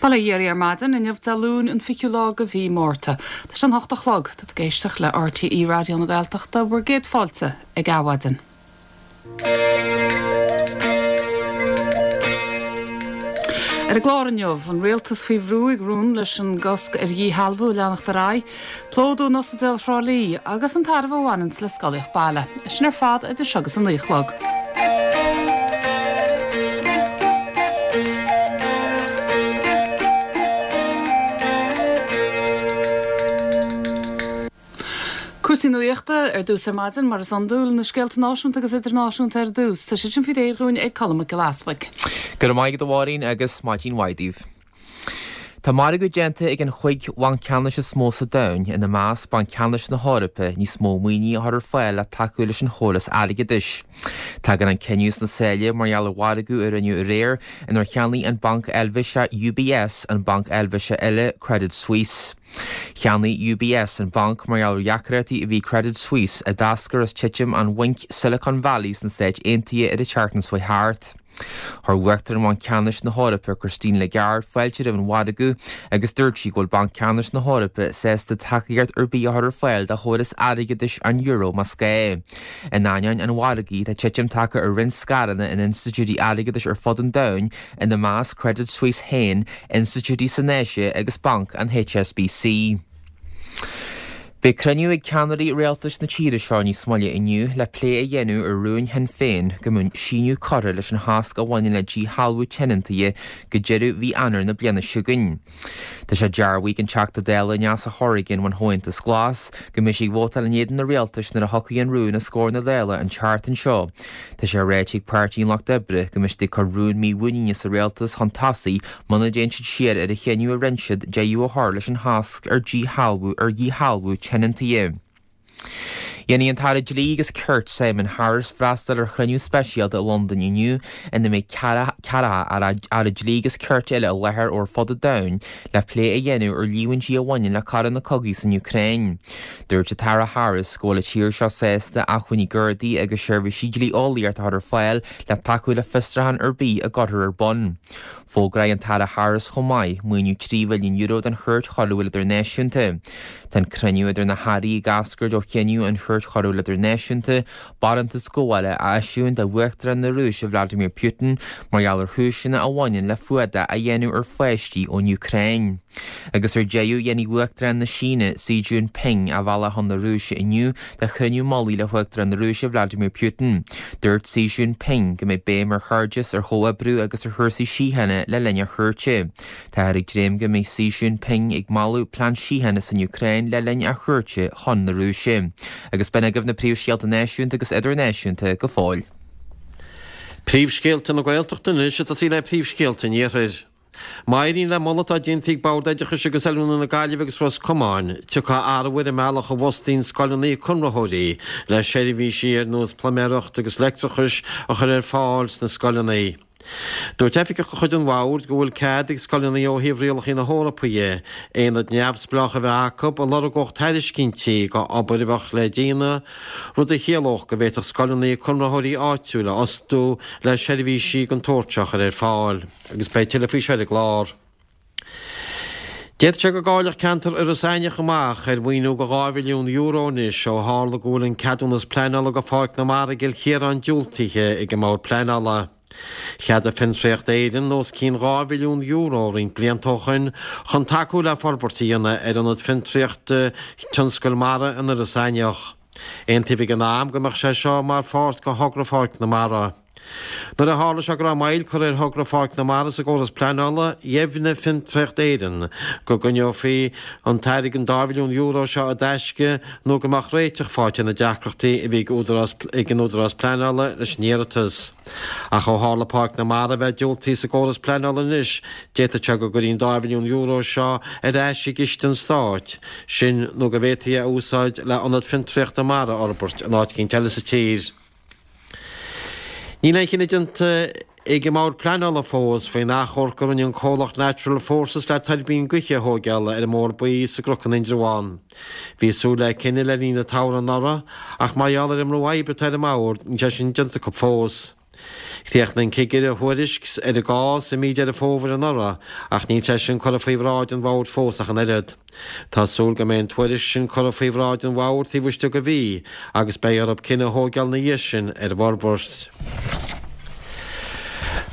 Bail ó Dhia oraibh ar maidin, inniu Dé Luain an 20ú lá de mhí Márta. Tá sé an hocht a chlog. Tá tú ag éisteacht le RTÉ Raidió na Gaeltachta, bhur gcéad fáilte ag Adhmhaidin. Ar an gclár inniu, an rialtas faoi bhrú ag rún leis an gcosc ar dhíshealbhú a leanacht ar aghaidh, plódú in Ospidéal Thrá Lí agus an tairbhe a bhaineanns le scolaíocht baile. É sin ar fad idir seo agus a 9 a chlog. Cúrsaí nuachta ar dtús ar maidin, mar is iondúil, na scéalta náisiúnta agus idirnáisiúnta ar dtús. Tá siad sin faoi réir dhúinn ag Colm Mac Giolla Easbuig. Go raibh maith agat a Mháirín agus maidin mhaith daoibh. Tá margadh déanta ag an chúig bhanc ceannais is mó sa domhan, ina measc Banc Ceannais na hEorpa, níos mó maoine a chur ar fáil le tacú leis an chóras airgeadais. Tagann an cinneadh sna sáile mar gheall ar mhargadh a rinneadh aréir inar cheannaigh an banc Eilvéiseach UBS an banc Eilvéiseach eile Credit Suisse. Cheannaigh UBS an banc mar gheall ar dheacrachtaí a bhí ag Credit Suisse a d'eascair as titim an bhainc Silicon Valley sna Stáit Aontaithe ar an tseachtain seo thart. Chuir Uachtarán Bhanc Ceannais na hEorpa, Christine Lagarde, fáilte roimh an mhargadh agus dúirt sí go bhfuil Banc Ceannais na hEorpa sásta tacaíocht ar bith a chur ar fáil do chóras airgeadais an euro más gá. In ainneoin an mhargaidh, tá titim tagtha ar roinnt scaireanna in institiúidí airgeadais ar fud an domhain, ina measc Credit Suisse féin, institiúidí san Áise agus banc an HSBC. Beidh cruinniú ag ceannairí rialtais na tíre seo níos moille inniu le plé a dhéanamh ar rún Shinn Féin go mbeadh síneadh curtha leis an chosc a bhaineann le díshealbhú tionóntaithe go deireadh mhí Eanáir na bliana seo chugainn. Tá sé dearbhaithe ag an Teachta Dála Neasa Hourigan ón Chomhaontas Glas go mbeidh sí ag vótáil in éadan an rialtais nuair a thiocfaidh an rún os comhair na Dála an tseachtain seo. Tá sé ráite ag Páirtí an Lucht Oibre go mbeidh siad ag cur rún mímhuiníne sa rialtas chun tosaigh Muna dtéann siad siar ar an chinneadh a rinne siad deireadh a chur leis an chosc ar díshealbhú ar dhíshealbhú tionóntaithe. Déanfaidh an tAire Dlí agus Cirt Simon Harris freastal ar chruinniú speisialta i Londain inniu ina mbeidh ceathracha Aire Dlí agus Cirt eile i láthair ó ar fud an domhain le plé a dhéanamh ar líomhaintí a bhaineann le coireanna cogaidh san Úcráin. Dúirt an tAire Harris go bhfuil an tír seo sásta acmhainní Gardaí agus seirbhísí dlí-eolaíochta a chur ar fáil le tacú le fiosrúchán ar bith a gcuirfear ar bun. Fógróidh an tAire Harris chomh maith maoiniú €3 mhilliún don Chúirt Choiriúil Idirnáisiúnta. Tá an cruinniú idir na hairí ag eascairt ó chinneadh an Chúirt Choiriúil Idirnáisiúnta barántas gabhála a eisiúint do Uachtarán na Rúise Vladimir Putin mar gheall ar chúiseanna a bhaineann le fuadach a dhéanamh ar pháistí ón Úcráin. Agus ar deireadh, dhéanfaidh Uachtarán na Síne, Xi Jinping, a bhealach chun na Rúise inniu do chruinniú mullaigh le hUachtarán na Rúise Vladimir Putin. Dúirt Xi Jinping go mbeidh béim ar chairdeas, ar chomhoibriú agus ar chúrsaí síochána le linn a chuairte. Táthar ag dréim go mbeidh Xi Jinping ag moladh plean síochána san Úcráin le linn a chuairte chun na Rúise. Agus b'in agaibh na príomhscéalta náisiúnta agus idirnáisiúnta go fóill. Príomhscéalta na Gaeltachta anois ag tosaí le príomhscéalta an Iarthair. Má éiríonn le moladh atá déanta ag Bord Oideachais agus Oiliúna na Gaillimhe agus Ros Comáin, tiocfaidh athrú ar an mbealach a bhfostaíonn scoileanna conraitheoirí le seirbhísí ar nós pluiméireacht agus leictreachais a chur ar fáil sna scoileanna. Dúirt oifigeach de chuid an Bhoird go bhfuil cead ag scoileanna ó thaobh rialacha na hEorpa dhe, aonad neamhspleách a bheith acu a lorgódh tairiscintí go obair a bheadh le déanamh, rud a chiallódh go bhféadfadh scoileanna conraitheoirí áitiúil a fhostú le seirbhísí den tsórt seo a chur ar fáil. Agus beidh tuilleadh faoi seo ar an gclár. D'fhéadfadh sé go gcaillfeadh ceantar Iorras Aithneach amach ar mhaoiniú de €2 mhilliún anois ó tharla go bhfuil an ceadúnas pleanála do Pháirc na Mara i gCill Chiaráin diúltaithe ag an mBord Pleanála. Cheadaigh Fiontraíocht Éireann os cionn €2 mhilliún roinnt blianta ó shoin chun tacú le forbairt a dhéanamh ar ionad fiontraíochta tionscail mara in Iorras Aithneach. Aontaíodh ag an am go mbeadh sé seo mar pháirt de thogra Pháirc na Mara. Nuair a tharla sé go raibh moill curtha ar thogra Pháirc na Mara sa gcóras pleanála, dheimhnigh Fiontraíocht Éireann go gcoinneofaí an t-airgead an €2 mhilliún seo i dtaisce nó go mbeadh réiteach faighte ar na deacrachtaí a bhí ag an Údarás Pleanála leis an iarratas. Ach ó tharla Páirc na Mara a bheith diúltaithe sa gcóras pleanála anois, d'fhéadfadh sé go gcuirfí an €2 mhilliún seo ar ais i gciste an Stáit, sin nó go bhféadfaí é a úsáid le ionad fiontraíochta mara a fhorbairt in áit eicínt eile sa tír. Níl aon chinneadh déanta ag an mBord Pleanála fós faoin achomharc a rinne an comhlacht Natural Forces le tuirbín gaoithe a thóigeáil ar an mBóthar Buí sa gCnoc in Indreabhán. Bhí súil le cinneadh le linn an tsamhraidh anuraidh ach mar gheall ar an mbrú oibre atá ar an mBord níl sé sin déanta acu fós. Chríochnaigh an cigire a thuairisc ar an gcás i mí Deireadh Fómhair anuraidh ach níl sé sin curtha faoi bhráid an bhoird fós ach an oiread. Tá súil go mbeidh an tuairisc sin curtha faoi bhráid an bhoird taobh istigh de mhí agus beidh orthu cinneadh a thóigeáil ina dhiaidh sin ar an bhforbairt.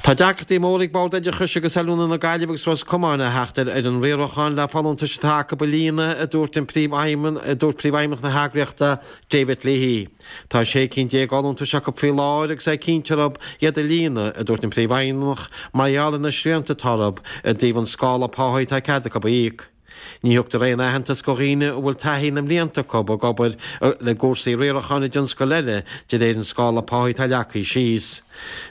Tá deacrachtaí móra ag Bord Oideachais agus Oiliúna na Gaillimhe agus Ros Comáin a theacht ar fhoireann riaracháin le folúntais atá acu a líonadh, a dúirt an Príomhfheidhmeannach na heagraíochta, David Leahy. Tá 16 cinn d'fholúntais acu faoi láthair agus é cinnte orthu iad a líonadh, a dúirt an Príomhfheidhmeannach, mar gheall ar na srianta atá orthu i dtaobh an scála páí atá cead acu a íoc. Ní thugtar aon aitheantas do dhaoine a bhfuil taithí na mblianta acu ag obair i gcúrsaí riaracháin i dtionscail eile de réir an scála páí atá leagtha síos.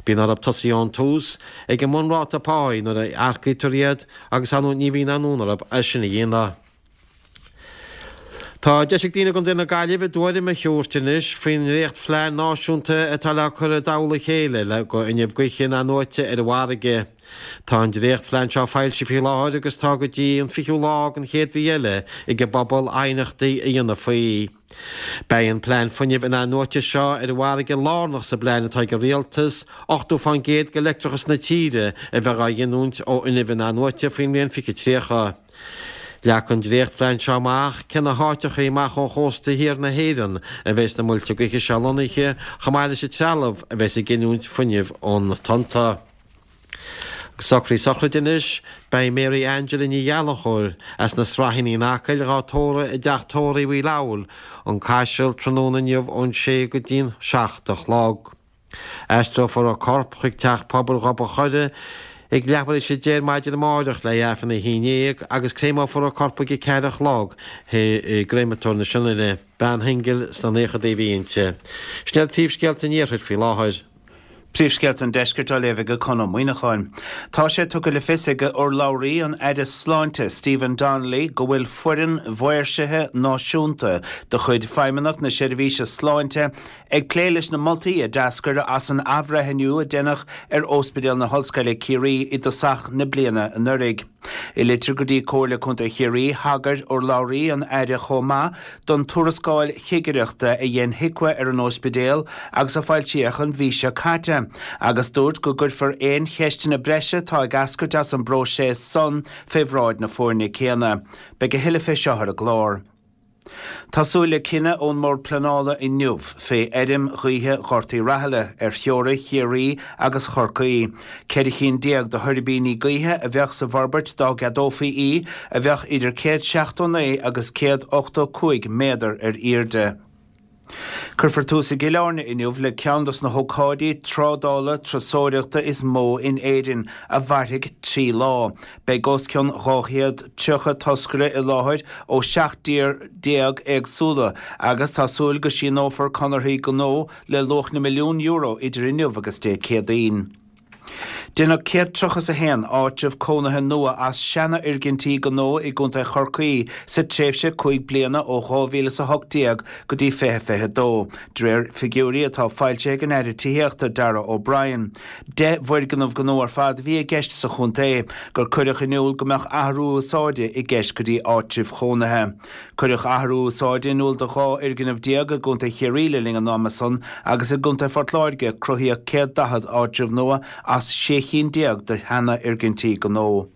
Bíonn orthu tosaí ón tús ag an mbunráta páí nuair a earcaítear iad agus ar ndóigh ní bhíonn aon fhonn orthu é sin a dhéanamh. Tá deis ag daoine i gContae na Gaillimhe a dtuairim a thabhairt anois faoin ndréachtphlean náisiúnta atá le cur i dtoll a chéile le go fhuinneamh gaoithe in-athnuaite ar an bhfarraige. Tá an dréachtphlean seo foilsithe faoi láthair agus tá go dtí an 20ú lá den chéad mhí eile ag an bpobal aighneachtaí a dhéanamh faoi. Beidh an plean fuinnimh in-athnuaite seo ar an bhfarraige lárnach sa bplean atá ag an Rialtas 80% de leictreachas na tíre a bheith á ghiniúint ó fhuinneamh in-athnuaite faoin mbliain 2030. Leagfaidh an dréachtphlean seo amach cé na háiteachaí amach ó chósta thiar na hÉireann a bheas na muilte gaoithe seo lonnaithe, chomh maith leis an trealamh a bheas ag giniúint fuinnimh ó na tonnta. Socruithe sochraide anois, beidh Mary Angela Ní Ghallchóir as na Sraithíní in Acaill dhá tórramh i dteach tórraimh Uí Fhleabhail, An Caiseal, tráthnóna inniu ón sé go dtí'n 7 a chlog. Aistreofar a corp chuig Teach Pobail Ghob an Choire ag leathuair théis a 10 ar maidin amáireach le Aifreann a 11 agus créamófar a corp ag a 4 a chlog i gcréamatóir na Sionainne. Bean shingil sna naochadaí a bhí inti. Sin iad príomhscéalta an iarthair faoi láthair. Príomhscéalta an Deiscirt á léamh ag Conn Ó Muíneacháin. Tá sé tugtha le fios ag urlabhraí an Aire Sláinte, Stephen Donnelly, go bhfuil foireann mhaoirsithe náisiúnta de chuid Feidhmeannacht na Seirbhíse Sláinte ag plé leis na moltaí a d'eascair as an athbhreithniú a deineadh ar Ospidéal na hOllscoile Ciarraí i dtosach na bliana anuraidh. I litir go dtí Comhairle Contae Chiarraí, thagair urlabhraí an Aire chomh maith don tuarascáil chigireachta a dhein HIQA ar an óispidéal agus a foilsíodh an mhí seo caite, agus dúirt go gcuirfear aon cheisteanna breise atá ag eascairt as an bpróiseas san fé bhráid na foirne céanna. Beidh a thuilleadh fé seo ar an gclár. Tá súil le cinneadh ón mBord Pleanála inniu fé fheirm ghaoithe Ghort Uí Rathaille ar theorainn Chiarraí agus Chorcaí. 14 cinn de thuirbíní gaoithe a bheadh sa bhforbairt dá gceadófaí í, a bheadh idir 179 agus 185 méadar ar airde. Cuirfear tús i gCill Airne inniu le ceann dos na hócáidí trádála turasóireachta is mó in Éirinn, a mhairfidh 3 lá. Beidh os cionn 230 toscaire i láthair ó 17 dtír éagsúla agus tá súil go síneofar conarthaí gnó le luach na milliún euro idir inniu agus Dé Céadaoin. Deineadh 131 áitreabh cónaithe nua as seanfhoirgintí gnó i gContae Chorcaí sa tréimhse 5 bliana ó 2018 go dtí 2022, de réir figiúirí atá foilsithe ag an Aire Tithíochta, Darragh O'Brien. 10 bhfoirgneamh gnó ar fad a bhí i gceist sa chontae, gur cuireadh in iúl go mbeadh athrú úsáide i gceist go dtí áitribh chónaithe. Cuireadh athrú úsáide in iúl do 12 fhoirgneamh i gContae Chiarraí le linn an ama san agus i gContae Phort Láirge cruthaíodh 140 áitreabh nua as 16 chinn de sheanfhoirgintí gnó.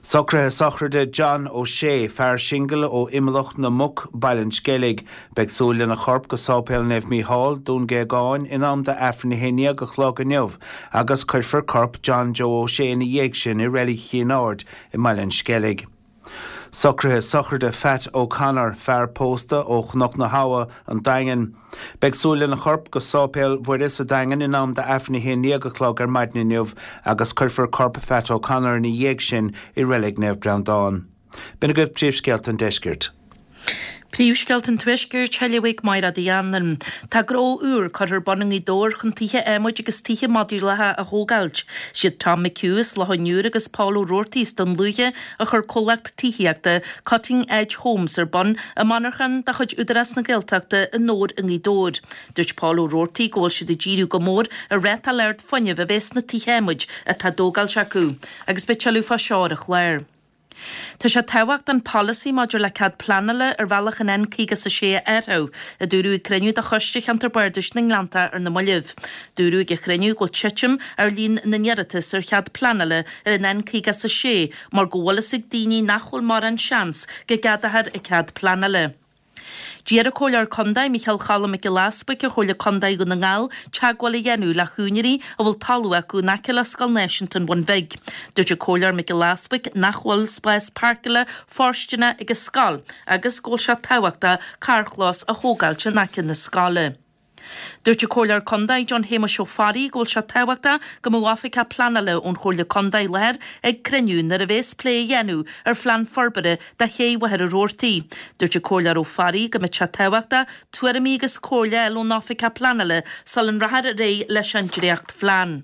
Socruithe sochraide John O'Shea, fear singil ó Imleach na Muc, Baile an Sceilg. Beidh súil lena chorp go Sáipéal Naomh Mícheál, Dún Géagáin, in am d'Aifreann 11 a chlog inniu agus cuirfear corp John Joe O'Shea ina dhiaidh sin i Reilig Chinn Aird i mBaile an Sceilg. Socruithe sochraide Phat O'Connor, fear pósta ó Chnoc na hAbha, An Daingean. Beidh súil lena chorp go Sáipéal Mhuire sa Daingean in am d'Aifreann 11 a chlog ar maidin inniu agus cuirfear corp Phat O'Connor ina dhiaidh sin i Reilig Naomh Breandán. B'in agaibh príomhscéalta an deiscirt. Príomhscéalta an Tuaiscirt, á léamh ag Mairéad Uí Anluain. Tá gnó úr curtha ar bun i nGaoth Dobhair chun tithe adhmaid agus tithe modúlacha a thógáilt. Siad Tom McHugh as Loch an Iúir agus Paul Ó Roarty as Dún Lúiche a chuir comhlacht tithíochta Cutting Edge Homes ar bun i monarchan de chuid Údarás na Gaeltachta i nDobhar i nGaoth Dobhair. Dúirt Paul Ó Roarty go bhfuil siad ag díriú go mór ar rátáil ard fuinnimh a bheith sna tithe adhmaid atá á dtógáilt acu. Agus beidh tuilleadh fá seo ar an chlár. Tá sé tábhachtach an polasaí maidir le cead pleanála ar bhealach an N56 a athrú, a dúradh ag cruinniú de Choiste Cheantar Bardais na nGleanntach ar na mallaibh. Dúradh ag an chruinniú go bhfuil titim ar líon na n-iarratas ar chead pleanála ar an N56 mar go bhfuil fhios ag daoine nach bhfuil mórán seans go gceadófar an cead pleanála. D'iarr an Comhairleoir Contae Micheál Choilm Mac Giolla Easbuic ar Chomhairle Contae Dhún na nGall teagmháil a dhéanamh le húinéirí a bhfuil talamh acu in aice le Scoil Náisiúnta an Bhun Bhig. Dúirt an Comhairleoir Mac Giolla Easbuic nach bhfuil spás páirceála fóirsteanach ag an scoil agus go bhfuil sé tábhachtach carrchlós a thógáilt in aice na scoile. Dúirt an Comhairleoir Contae John Shéamuis Ó Fearraigh go bhfuil sé tábhachtach go mbeadh oifigeach pleanála ón Chomhairle Contae i láthair ag cruinniú nuair a bhéas plé a dhéanamh ar phlean forbartha do ché Mhachaire Rabhartaigh. Dúirt an Comhairleoir Ó Fearraigh go mbeadh sé tábhachtach tuairimí agus comhairle a fháil ón oifigeach pleanála sula rachfar ar aghaidh leis an dréachtphlean.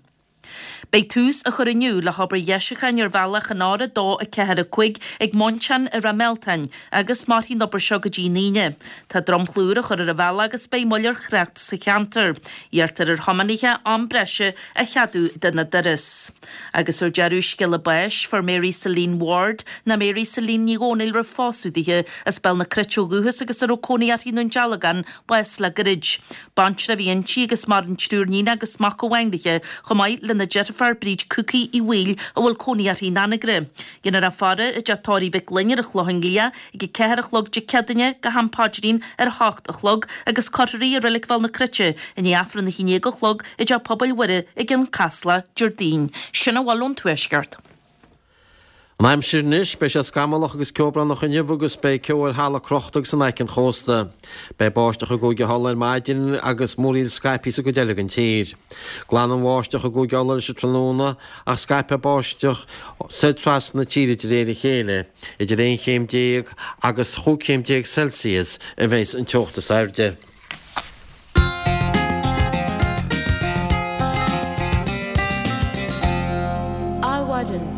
Beidh tús á chur inniu le hobair dheisiúcháin ar bhealach an R2 4 5 ag Móinteán i Ráth Mealtain agus mairfidh an obair seo go dtí an Aoine. Tá dromchla úr á chur ar an bhealach agus beidh moill ar thrácht sa cheantar. Iarrtar ar thiománaithe am breise a cheadú dona dturas. Agus ar deireadh, scéala báis, fuair Mary Celine Ward, nó Mary Celine Ní Dhomhnaill roimh phósadh dithe, as Béal na Cruite ó dhúchas agus a raibh cónaí uirthi i nDún Dealgán, bás le gairid. Baintreach a bhí inti agus maireann triúr níon agus mac amháin léi, chomh maith lena deirfiúr Bríd Cookie Uí Bhaoill a bhfuil cónaí uirthi in Anagaire. Déanfar í a faire i dteach tórraimh Mhic Fhloinn ar an Chlochán Liath ag a 4 a chlog Dé Céadaoine go ham paidrín ar a hocht a chlog agus cuirfear í i Reilig Bhéal na Cruite i ndiaidh Aifreann a haon déag a chlog i dTeach Pobail Mhuire i gCionn Caslach Déardaoin. Sin a bhfuil ón Tuaisceart. An aimsir anois, beidh sé scamallach agus ceobhránach inniu agus beidh ceo ar thalamh crochta agus in aice an chósta. Beidh báisteach i gCúige Uladh ar maidin agus múraíl scaipthe sa gcuid eile den tír. Glanfaidh an bháisteach i gCúige Uladh leis an tráthnóna ach scaipfidh báisteach soir trasna na tíre de réir a chéile. Idir 11 chéim agus chúig chéim déag Celsius a bheas an teocht is airde. Adhmhaidin.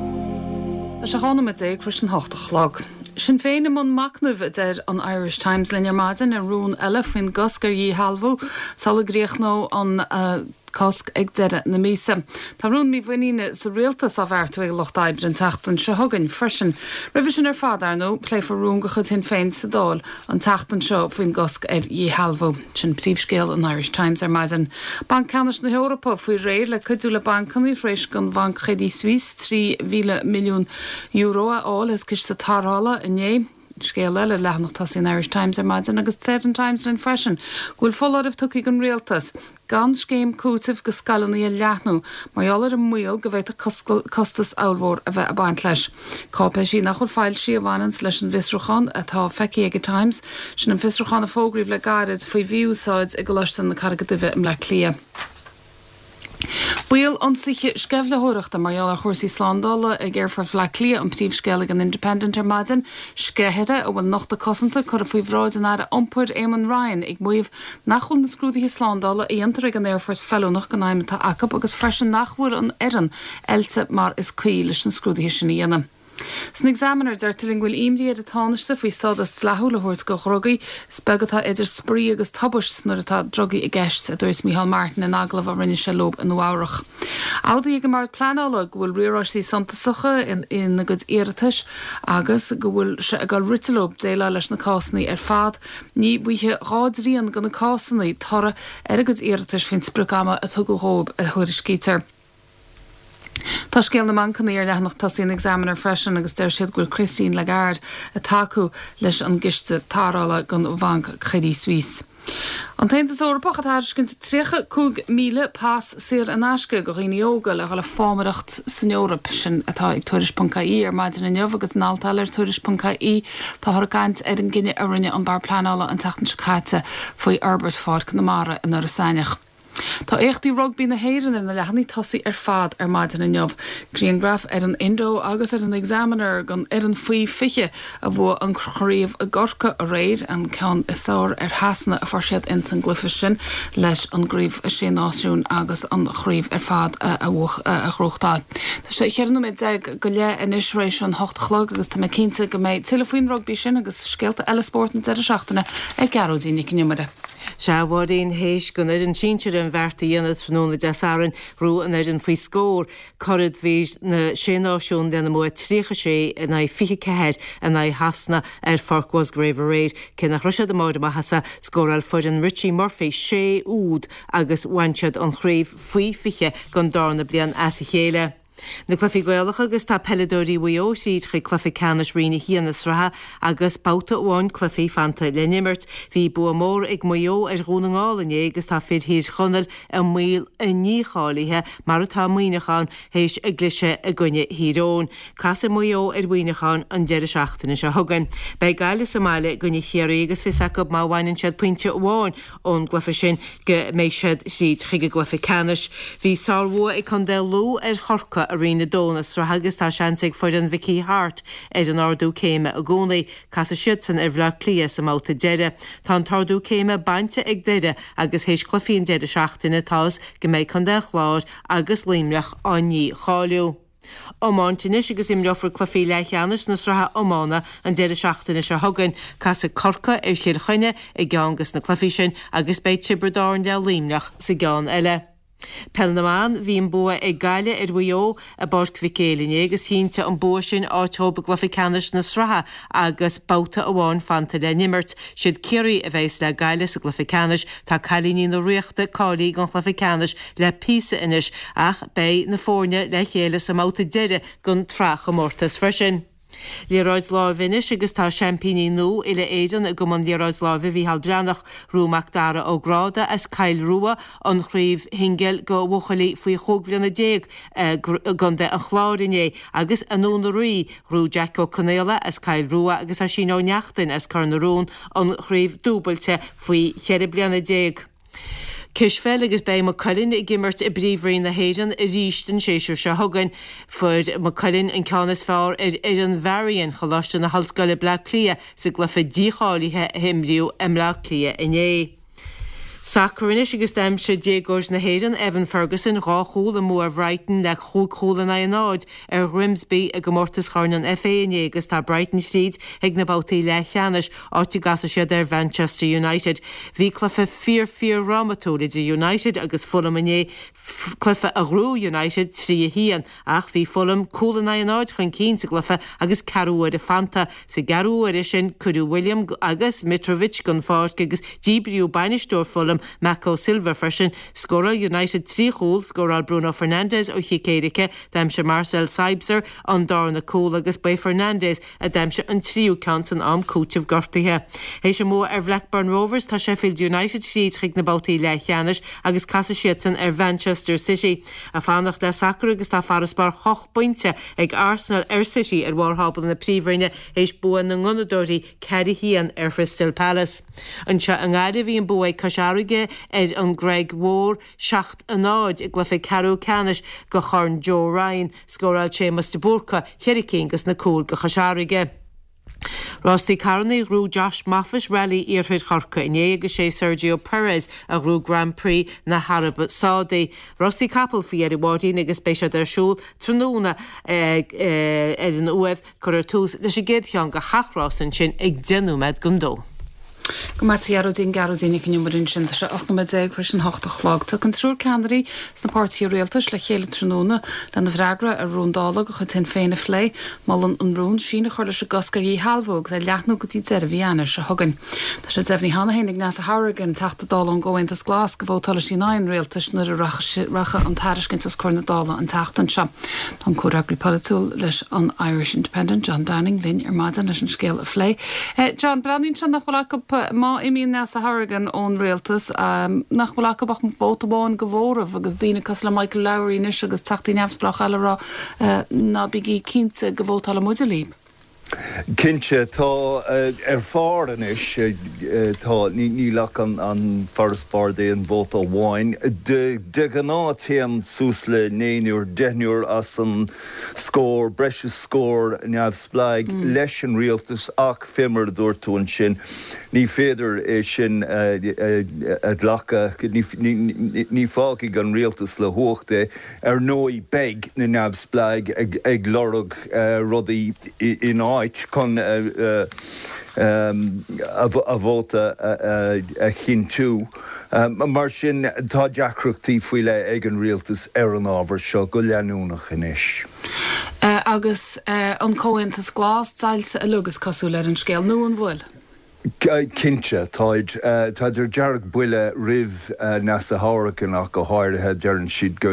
Tá sé 12 nóiméad tar éis an hocht a chlog. Sinn Féin i mbun machnaimh, a deir an Irish Times linn ar maidin, ar rún eile faoin gcosc ar dhíshealbhú sula gcríochnóidh an cosc ag deireadh na míosa. Tá rún mímhuiníne sa rialtas á bheartú ag an Lucht Oibre an tseachtain seo chugainn freisin. Roimhe sin ar fad, ar ndóigh, pléifear rún de chuid Shinn Féin sa Dáil an tseachtain seo faoin gcosc ar dhíshealbhú. Sin príomhscéal an Irish Times ar maidin. Banc Ceannais na hEorpa faoi réir le cuidiú le bancanna tar éis don bhanc Credit Suisse €3,000 milliún a fháil as ciste tarrthála inné. Scéal eile ar leathanach tosaigh an Irish Times ar maidin agus deir an Times linn freisin go bhfuil foláireamh tugtha ag an rialtas gan scéim cúitimh go scoileanna a leathnú mar gheall ar an mbaol go bhféadfadh costas ollmhór a bheith ag baint leis. Cáipéisí nach bhfuil foilsithe a bhaineanns leis an bhfiosrúchán atá feicthe ag an Times, sin an fiosrúchán a fógraíodh le gairid faoi mhí-úsáid i gColáiste na Carraige Duibhe i mBleá Cliath. Baol ionsaithe sceimhlitheoireachta mar gheall ar chúrsaí slándála ag Aerfort Bhaile Átha Cliath an príomhscéal ag an Independent ar maidin. Sceithire a bhfuil nochtadh cosanta curtha faoi bhráid an Aire Iompair Eamon Ryan ag maíomh nach bhfuil na scrúduithe slándála a dhéantar ag an aerfort feiliúnach don fheidhm atá acu agus freisin nach bhfuil an fhoireann oilte mar is cuí leis na scrúduithe sin a dhéanamh. San Examiner, deirtear linn go bhfuil imní ar an Tánaiste faoi stádas dleathúil a thabhairt do dhrugaí. Is beag atá idir spraoi agus tubaist nuair atá drugaí i gceist, a dúirt Micheál Martin in agallamh a rinne sé leo i Nua Eabhrach. Admhaithe ag an mBord Pleanála go bhfuil riaráistí suntasacha ina gcuid iarratais agus go bhfuil sé ag dul rite leo déileáil leis na cásanna ar fad. Ní bhfaighidh dá dtrian de na cásanna toradh ar a gcuid iarratais faoin sprioc-ama a tugadh dhóibh, a thuairiscítear. Tá scéal na mbancanna ar leathanach tosaigh an Examiner freisin agus deir siad go bhfuil Christine Lagarde ag tacú leis an gciste tarrthála don bhanc Credit Suisse. An tAontas Eorpach ag tairiscint 35,000 pas saor in aisce do dhaoine óga le dhul ag fámaireacht san Eoraip. Sin atá ag Tuairisc.ie ar maidin inniu agus in alt eile ar Tuairisc.ie táthar ag caint ar an gcinneadh a rinne an Bord Pleanála an tseachtain seo caite faoi fhorbairt Pháirc na Mara in Iorras Aithneach. Tá éachtaí rugbaí na hÉireann ar na leathanaigh tosaigh ar fad ar maidin inniu. Grianghraif ar an Indo agus ar an Examiner den fhoireann faoi 20 a bhuaigh an chraobh i gCorcaigh aréir, an ceann is fearr ar Shasana a fuair siad ins an gcluiche sin leis an gCraobh Sé Náisiún agus an chraobh ar fad a ghnóthachtáil. Tá sé cheithre nóiméad déag go leith anois tar éis an hocht a chlog agus tá mé cinnte go mbeidh tuilleadh faoin rugbaí sin agus scéalta eile spóirt na deireadh seachtaine ag Gearóidín Nic an Iomaire. Sea, a Mháirín, théis don fhoireann sinsir an bheart a dhéanamh tráthnóna Dé Sathairn, ghnóthaigh an fhoireann faoi scór curaidh na Sé Náisiún lena mbua 36 in aghaidh 24 in aghaidh Shasana ar Pháirc Mhusgrave aréir. Cé nach raibh siad i mbarr a maitheasa, scóráil foireann Richie Murphy sé úd agus bhain siad an chraobh faoi 20 don darna bliain as a chéile. Na cluichí Gaelacha agus tá peileadóirí Mhaigh Eo thríd chuig cluiche ceannais Roinn 1 na sraithe agus babhta amháin cluichí fanta le n-imirt. Bhí bua mór ag Maigh Eo ar Dhún na nGall inné agus tá fir Thír Chonaill i mbaol a ndícháilithe, mar atá Muineachán, théis a gcliseadh i gcoinne Thír Eoghain. Casfaidh Maigh Eo ar Mhuineachán an deireadh seachtaine seo chugainn. Beidh Gaillimh sa mbaile i gcoinne Chiarraí agus fios acu má bhaineann siad pointe amháin ón gcluiche sin go mbeidh siad thríd chuig an gcluiche ceannais. Bhí sárbhua ag Contae Lú ar Chorcaigh i Roinn 2 na sraithe agus tá seans ag foireann Mhickey Harte ar an ardú céime i gcónaí. Casfaidh siadsan ar Bhleá Cliath sa mbabhta deiridh. Tá an t-ardú céime bainte ag Doire agus théis cluichí an deireadh seachtaine tá fhios go mbeidh Contae an Chláir agus Luimneach á ndícháiliú. Iomáint anois agus imreofar cluichí leathcheannais na sraithe iomána an deireadh seachtaine seo chugainn. Casfaidh Corcaigh ar Chill Chainnigh i gceann des na cluichí sin agus beidh Tiobraid Árann le Luimneach sa gceann eile. Peil na mBan, Bhí an bua ag Gaillimh ar Mhaigh Eo i bPáirc Mhic Éil inné agus chinntigh an bua sin áit dhóibh i gcluiche ceannais na sraithe agus babhta amháin fanta le n-imirt. Siad Ciarraí a bheas le Gaillimh sa gcluiche ceannais. Tá cailíní na Ríochta cáilithe don chluiche ceannais le píosa anois ach beidh na foirne le chéile sa mbabhta deiridh den tsraithchomórtas freisin. Liathróid láimhe anois agus tá seaimpíní nua uile-Éireann i gCumann Liathróid Láimhe Mhícheál Breathnach, Ghnóthaigh Mac Dara Ó Gráda as Cill Rua an chraobh shingil do bhuachaillí faoi chúig bhliana déag i gContae an Chláir inné agus i nDún na Rí, ghnóthaigh Jack Ó Conaola as Cill Rua agus Oisín Ó Neachtain as Cor na Rón an chraobh dúbailte faoi cheithre bliana déag. Cispheil agus beidh Maigh Cuilinn ag imirt i bPríomhroinn na hÉireann arís an séasúr seo chugainn. Fuair Maigh Cuilinn an ceann is fearr ar fhoireann Varian, Choláiste na hOllscoile Bleá Cliath sa gcluiche dícháilithe a imríodh i mBleá Cliath inné. Sacar anois agus d'aimsigh déagóir na hÉireann, Evan Ferguson, dhá chúl i mbua Bhrighton le chúig chúl in aghaidh a náid ar Ghrimsby i gcomórtas Chorn an FA inné agus tá Brighton thríd chuig na babhtaí leathcheannais, áit a gcasfaidh siad ar Mhanchester United. Bhí cluiche fíor fíor dhrámatúil idir United agus Fulham inné, cluiche a ghnóthaigh United 3 1, ach bhí Fulham cúl in aghaidh a náid chun cinn sa gcluiche agus ceathrú uaire fanta. Sa gceathrú uaire sin cuireadh Willian agus Mitrovic den pháirc agus díbríodh bainisteoir Fulham, Marco Silva freisin. Scóráil United 3 chúl, scóráil Bruno Fernandes ó chic éirice, d'aimsigh Marcel Sabitzer an darna cúl agus ba é Fernandes a d'aimsigh an tríú ceann san am cúitimh gortaithe. Théis a mbua ar Bhlackburn Rovers, tá Sheffield United thríd chuig na babhtaí leathcheannais agus casfaidh siadsan ar Mhanchester City. Ag fanacht le sacar agus tá farasbarr ocht bpointe ag Arsenal ar City ar bharr thábla na Príomhroinne théis bua na nGunnadóirí 4 1 ar Chrystal Palace. Anseo i nGaillimh bhí an bua ag Cois Fharraige ar an gCreig Mhór 7 0 i gcluiche ceathrú ceannais do Chorn Joe Ryan. Scóráil Séamus de Búrca cheithre cinn dos na cúil do Chois Fharraige. Rástaí carrannaí ghnóthaigh Josh Moffat Rally Iarthair Chorcaí inné agus sé Sergio Perez a ghnóthaigh Grand Prix na hAraibe Sádaí. Rástaí capall faoi dheireadh a Mháirín agus beidh siad ar siúl tráthnóna ar an Uaimh. Cuirfear tús leis an gcéad cheann de sheacht rás ansin ag 10 nóiméad don dó. Go maith a Ghearóidín, Gearóidín Nic an Iomaire ansin. Tá sé 18 nóiméad tar éis an hocht a chlog. Tiocfaidh an triúr ceannairí sna páirtithe rialtais le chéile tráthnóna lena bhfreagra ar rún Dála de chuid Shinn Féin a phlé. Molann an rún síneadh a chur leis an gcosc ar dhíshealbhú agus é a leathnú go dtí deireadh mhí Eanáir seo chugainn. Tá sé deimhnithe cheana féin ag Neasa Hourigan, Teachta Dála ón gComhaontas Glas, go vótálfaidh sí in aghaidh an rialtais nuair a rachaidh an tairiscint os comhair na Dála an tseachtain seo. Tá an comhfhreagraí polaitiúil leis an Irish Independent, John Downing, linn ar maidin leis an scéal a phlé. John, breathnaíonn sé nach bhfuil acu, má imíonn Neasa Hourigan ón rialtas, nach bhfuil acu ach vóta amháin de mhóramh agus daoine cosúil le Michael Lowry anois agus teachtaí neamhspleácha eile ag rá ná bígí cinnte go vótálfaidh muide libh. Cinnte, tá ar phár anois, tá, níl ach an farasbarr d'aon vóta amháin. De ghnáth téann suas le naonúr, deichniúr as an scór, breis is scór neamhspleáigh leis an rialtas ach fé mar a dúirt tú ansin, ní féidir é sin a ghlacadh, ní fágfaidh an rialtas le huacht é. Ar ndóigh beidh na neamhspleáigh ag lorg rudaí in áit chun. A vóta a chinntiú. Mar sin, tá deacrachtaí faoi leith ag an rialtas ar an ábhar seo go leanúnach anois. Agus an Comhaontas Glas deighilte uilig, is cosúil, ar an scéal, nó an bhfuil? Cinnte, táid. Táid ar dearg-bhuile roimh Neasa Hourigan ach go háirithe. Deireann siad go.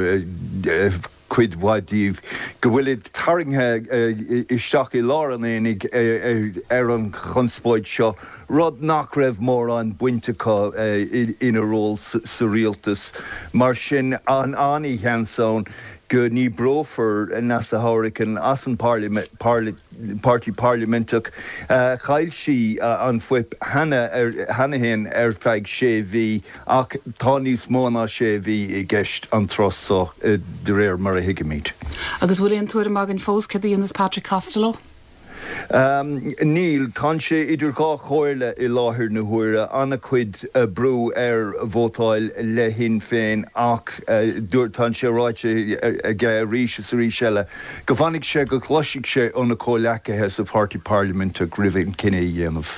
cuid mhaith díobh, go bhfuilid tarraingthe isteach i lár an aonaigh ar an chonspóid seo, rud nach raibh mórán baint acu ina ról sa rialtas. Mar sin, an-sheans ann go ndíbreofar Neasa Hourigan as an Páirtí Parlaiminteach. Chaill sí an fuip cheana féin ar feadh sé mhí. Ach tá níos mó ná sé mhí i gceist an tráth so, de réir mar a thuigimid. Agus bhfuil aon tuairim againn fós céard a dhéanfas Patrick Costello? Níl. Tánn sé idir dhá chomhairle i láthair na huaire. An-chuid brú air vótáil le Shinn Féin ach tánn sé ráite aige arís is arís eile go bhfanfaidh sé go gcloisfidh sé óna chomhleacaithe sa Pháirtí Parlaiminteach roimh an cinneadh a dhéanamh.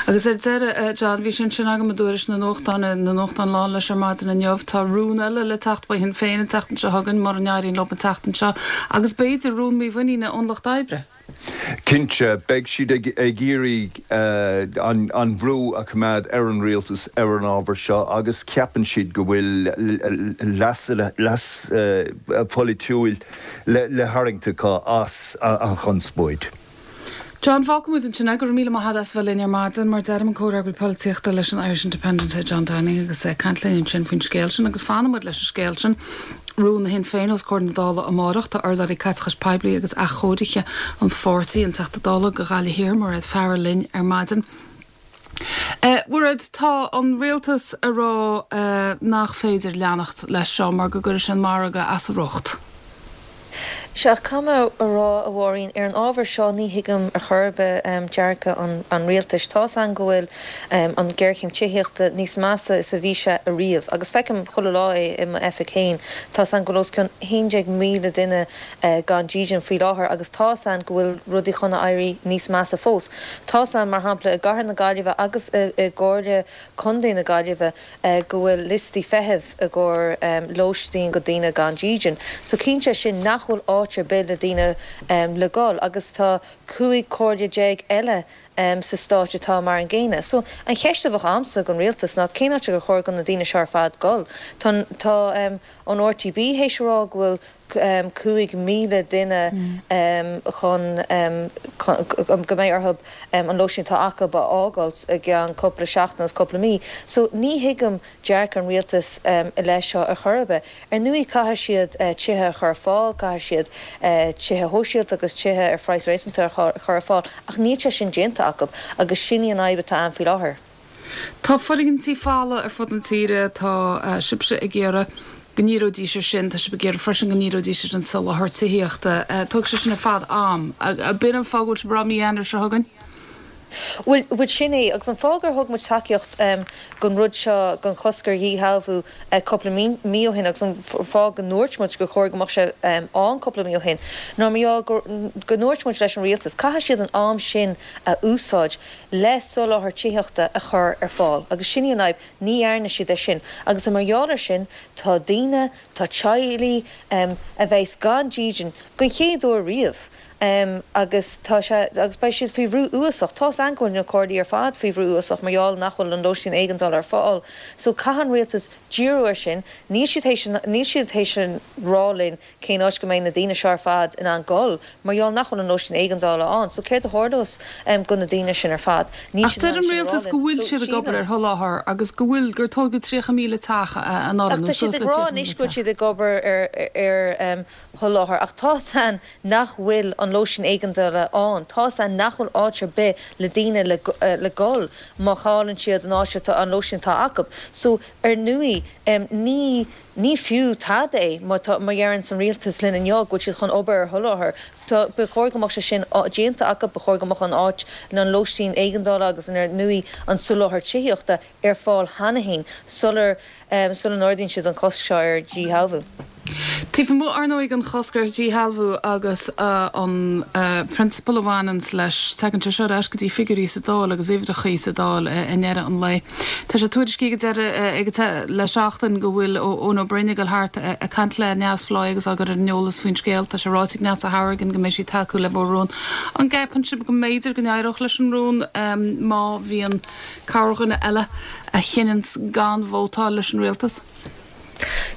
Agus ar deireadh, John, bhí sé ansin agam i dtuairisc na nuachtán, na nuachtáin lán leis ar maidin inniu, tá rún eile le teacht ó Shinn Féin an tseachtain seo chugainn, mura n-éiríonn leo an tseachtain seo, agus b'fhéidir rún mímhuiníne ón Lucht Oibre. Cinnte, beidh siad ag iarraidh an brú a choimeád ar an rialtas ar an ábhar seo agus ceapann siad go bhfuil leas polaitiúil le tharraingt acu as an chonspóid. John, fágfaidh muid ansin é. Go raibh míle maith agat as bheith linn ar maidin. Mar a deirim, an comhfhreagraí polaitíochta leis an Irish Independent é John Downing agus é ag caint linn ansin faoin scéal sin agus fanfaidh muid leis an scéal sin. Rún Shinn Féin os comhair na Dála amárach. Tá urlabhraí caiteachais poiblí agus athchóirithe an pháirtí, an Teachta Dála do Ghaillimh Thiar, Mairéad Farrell linn ar maidin. A Mhairéad, tá an rialtas ag rá nach féidir leanacht leis seo mar go gcuirfidh sé an margadh as a riocht. Sea, ach caithfidh mé a rá, a Mháirín, ar an ábhar seo ní thuigim ar chor ar bith dearcadh an rialtais. Tá's a'inn go bhfuil an ghéarchéim tithíochta níos measa is a bhí sé ariamh, agus feicim chuile lá é i m'oifig féin. Tá's a'inn go bhfuil os cionn 11,000 duine gan dídean faoi láthair agus tá's a'inn go bhfuil rudaí chun a éirí níos measa fós. Tá's a'inn, mar shampla, i gcathair na Gaillimhe agus i gComhairle Contae na Gaillimhe go bhfuil liostaí feithimh i gcomhair lóistín go daoine gan dídean. So cinnte é sin nach bhfuil áit ar bith le daoine le dhul agus tá 15 comhairle eile sa stáit atá mar an gcéanna. So an cheist a bheadh a'msa gon rialtas ná cén áit gur chóir go na daoine seo ar fad dhul? Tá tá an RTB théis a rá go bhfuil 5,000 duine chun go mbeidh orthu an lóistín atá acu a fhágáilt i gceann cúpla seachtain agus cúpla mí. So ní thuigim dearcadh an rialtais i leith seo ar chor ar bith. Ar ndóigh caithfidh siad tithe a chur ar fáil, caithfidh siad tithe shóisialta agus tithe ar phraghas réasúnta a chur ar fáil ach níl sé sin déanta acu agus sin í an fhadhb atá ann faoi láthair. Tá foirgintí folamh ar fud na tíre, tá sibhse ag iarraidh go ndíreoidís ar sin, tá sibh ag iarraidh freisin go ndíreoidís ar an soláthar tithíochta. Tógfaidh sé sin ar fad am. B'in an fáth go bhfuil sibh ag rá mí Eanáir seo chugainn? Bhuel, bhuel sin é, agus an fáth gur thug muid tacaíocht don rud seo, don chosc ar dhíshealbhú cúpla mí ó shin, agus an fáth go ndúirt muid gur chóir go mbeadh sé ann cúpla mí ó shin, ná mar gheall go ndúirt muid leis an rialtas, caithfidh siad an am sin a úsáid le soláthar tithíochta a chur ar fáil agus sin í an fhadhb, ní dhearna siad é sin agus mar gheall air sin tá daoine, tá teaghlaigh a bheas gan dídean don chéad uair riamh agus tá sé, agus beidh siad faoi bhrú uafásach. Tá's a'inn go bhfuil na comhairlí ar fad faoi bhrú uafásach mar gheall nach bhfuil an lóistín éigeandála ar fáil so caithfidh an rialtas díriú air sin, níl siad théis, níl siad théis a rá linn Cén áit go mbeidh na daoine seo ar fad in ann gul mar gheall nach bhfuil an lóistín éigeandála ann? So céard a tharlós go na daoine sin ar fad? Níl Ach siad in deir ann an sin a rá rialtas linn. go bhfuil So siad ag obair sílim. ar sholáthar agus go bhfuil, gur tóigeadh 30,000 teach anuraidh Ach nó tá siad suas ag le rá 30,000 anois go bhfuil teach. siad ag obair ar ar sholáthar ach tá's a'inn nach bhfuil an lóistín éigeandála ann. Tá's a'inn nach bhfuil áit ar bith le daoine le le gul má chailleann siad an áit atá an lóistín atá acu. So ar ndóigh ní Ní fiú tada é má tá, má dheireanns an rialtas linn inniu go bhfuil siad chun obair ar sholáthar. Tá, ba chóir go mbeadh sé sin déanta acu, ba chóir go mbeadh an áit, an lóistín éigeandála agus ar ndóigh an soláthar tithíochta ar fáil cheana féin sular, sula n-ardaíonn siad an cosc seo ar dhíshealbhú. Taobh amuigh, ar ndóigh, den chosc ar dhíshealbhú agus an prionsabal a bhaineanns leis, tagann sé seo ar ais go dtí figiúirí sa Dáil agus uimhreachaí sa Dáil i ndeireadh an lae. Tá sé tuairiscithe ag deireadh ag le seachtain go bhfuil Eoin Ó Broin ag dul thart ag caint le neamhspleáigh agus á gcur ar an eolas faoin scéal. Tá sé ráite ag Neasa Hourigan go mbeidh sí ag tacú le mhór-rún. An gceapann sibh go mb'fhéidir go n-éireodh leis an rún má bhíonn corrdhuine eile a chinneanns gan vótáil leis an rialtas?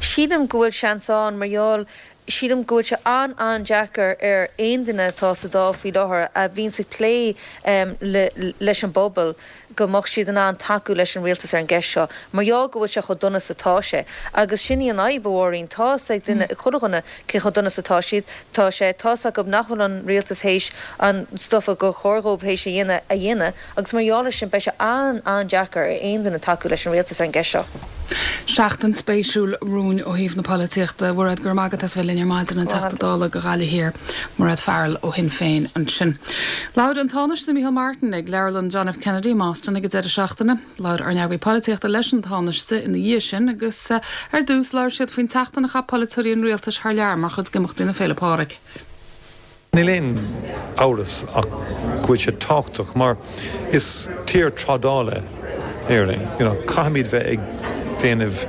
Sílim go bhfuil seans ann mar gheall, sílim go bhfuil sé an-an-deacair ar aon duine atá sa Dáil faoi láthair a bhíonns ag plé leis an bpobal go mbeadh siad in ann tacú leis an rialtas ar an gceist seo mar gheall go bhfuil sé chomh dona is atá sé. Agus sin í an fhadhb, a Mháirín. Tá 'fhios ag duine, chuile dhuine cé chomh dona is atá siad, tá sé, tá 'fhios acu nach bhfuil an rialtas théis an stuif a gur chóir dhóibh théis a dhéanamh a dhéanamh. Agus mar gheall ar sin, beidh sé an-an-deacair ar aon duine tacú leis an rialtas ar an gceist seo. Seachtain spéisiúil romhainn ó thaobh na polaitíochta. A Mhairéad, go raibh maith agat as bheith linn ar maidin, an Teachta Dála do Ghaillimh Thiar, Mairéad Farrell ó Shinn Féin ansin. Labhair an Tánaiste Micheál Martin ag Leabharlann John F. Kennedy i mBoston ag an deireadh seachtaine. Labhair ár n-eagraí polaitíochta leis an Tánaiste ina dhiaidh sin agus ar dtús labhair siad faoin tseachtain a chaith polaiteoirí an rialtais thar lear mar chuid d'imeachtaí na Féile Pádraig. Níl aon amhras ach go bhfuil sé tábhachtach mar is tír trádála Éire. You know, caithfimid bheith ag déanamh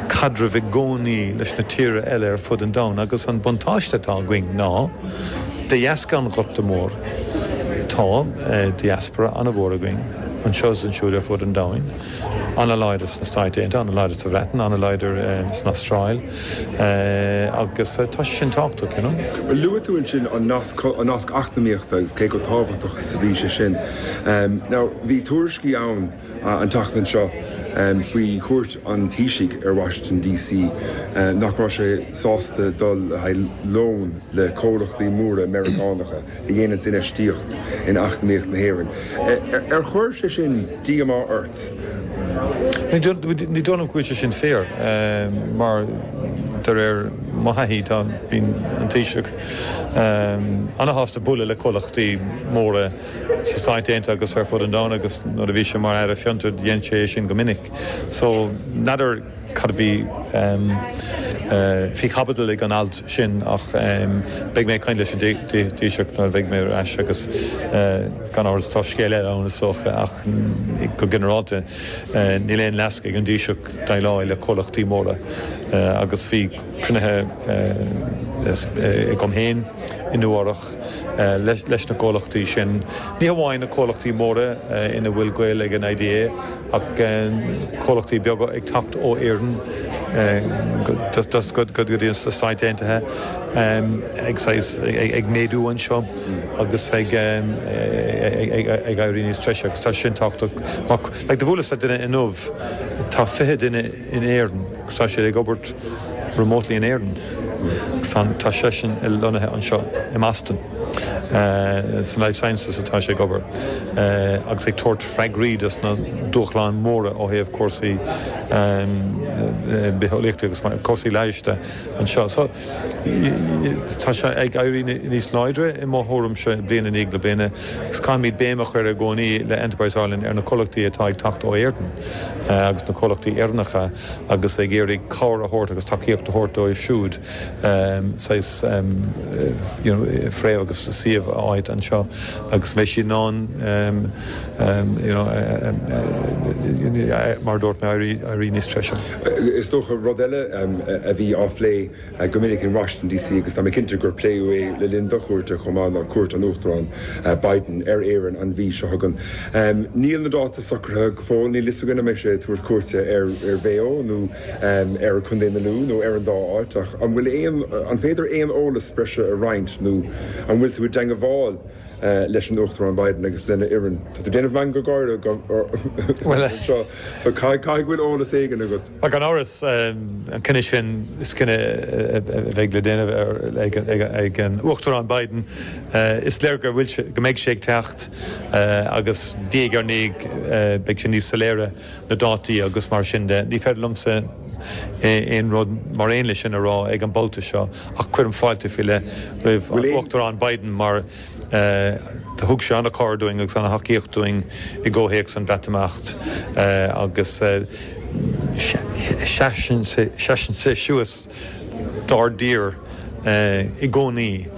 caidrimh i gcónaí leis na tíortha eile ar fud an domhain agus an buntáiste atá againn ná de dheasca an Ghorta Mhóir tá diaspora an-mhór againn anseo is ansiúd ar fud an domhain. An-láidir sna Stáit Aontaithe, an-láidir sa Bhreatain, an-láidir san Astráil agus tá sé sin tábhachtach, you know. Luaigh tú ansin an nasc, an nasc eacnamaíochta agus cé chomh tábhachtach is a bhí sé sin. Now, bhí tuairiscí ann an tseachtain seo faoi chuairt an Taoisigh ar Washington DC nach raibh sé sásta dul le haghaidh lón le comhlachtaí móra Meiriceánacha. a dhéananns infheistíocht in eacnamaíocht na hÉireann. Ar chuir sé sin díomá ort? Ní dóigh liom go bhfuil sé sin fíor, mar de réir mo thaithí tá, bíonn an Taoiseach ana-shásta bualadh le comhlachtaí móra sna Stáit Aontaithe agus ar fud an domhain agus nuair a bhí sé mar Aire Fiontar dhein sé é sin go minic. So, n'fheadar. cad a bhí faoi chaibidil ag an alt sin ach beidh mé ag caint leis an Taoiseach nuair a bheidh mé ar ais agus gan amhras tá scéal eile ann is dócha ach go ginearálta níl aon leasc ag an Taoiseach déileáil le comhlachtaí móra agus bhí cruinnithe agam féin i Nua-Eabhrac leis na comhlachtaí sin, ní hamháin na comhlachtaí móra ina bhfuil gaol ag an IDA ach comhlachtaí beaga ag teacht ó Éirinn go dtí na Stáit Aontaithe ag saghas ag méadú anseo agus ag éirí níos treise agus tá sin tábhachtach. Like do bhuaileas le duine inniu, tá 20 duine in Éirinn agus tá siad ag obair remotely in Éirinn agus tá seisean lonnaithe anseo i mBoston. San Life Sciences atá sé ag obair agus ag tabhairt freagraí dos na dúshláin mhóra ó thaobh cúrsaí bitheolaíochta agus cúrsaí leighis de anseo. So tá sé ag éirí níos láidre i mo thuairimse bliain i ndiaidh na bliana agus caithfimid béim a chur i gcónaí le Enterprise Ireland ar na comhlachtaí atá ag teacht ó Éirinn agus na comhlachtaí Éireannacha agus ag iarraidh cabhair a thabhairt agus tacaíocht a thabhairt dóibh siúd saghas you know fréamh agus suíomh a fháilt anseo agus beidh siad in ann you know mar a dúirt mé éirí níos treise. Is dócha rud eile a bhí á phlé go minic in Washington DC agus tá mé cinnte gur pléadh é le linn do chuairte chomh maith ná cuairt an Uachtaráin Biden ar Éirinn an mhí seo chugainn. Níl na dáta socraithe go fóill, níl fhios againn an mbeidh sé ag tabhairt cuairte ar Mhaigh Eo nó ar Chontae na Lú nó ar an dá áit ach an bhfuil aon, an féidir aon eolas breise a roinnt nó an bhfuil tú i dteangabháil leis an Uachtarán Biden agus lena fhoireann? Tá tú ag déanamh meangadh gáire anseo so caithfidh go bhfuil eolas éigin agat. Ach gan amhras, an cinneadh sin, is cinneadh a bheidh le déanamh ag an Uachtarán Biden. Is léir go bhfuil sé, go mbeidh sé ag teacht agus diaidh ar ndiaidh beidh sé níos soiléire na dátaí agus mar sin de. Ní féidir liomsa aon rud mar aon leis sin a rá ag an mbabhta seo ach cuirim fáilte faoi leith roimh an Uachtarán Biden mar Do thug sé an-chabhair dúinn agus an-thacaíocht dúinn i gcomhthéacs an Bhreatimeacht agus seasann sé suas dár dtír i gcónaí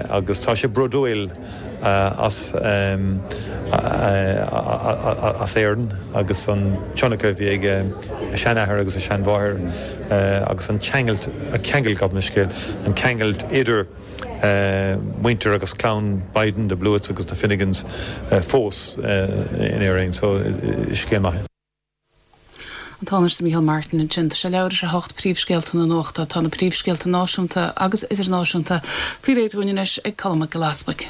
agus tá sé bródúil as as Éirinn agus an tionchar a bhí ag a seanathair agus a seanmháthair agus an ceangailt, ceangal, gabh mo leithscéal, an ceangailt idir muintir agus clann Biden, the Blewitts agus na Finnegans fós in Éirinn. So is scéal maith é. An Tánaiste Micheál Martin ansin. Tá sé leathuair tar éis a hocht Príomhscéalta na Nuachta. Tá na príomhscéalta náisiúnta agus idirnáisiúnta faoi réir dúinn anois ag Colm Mac Giolla Easbuig.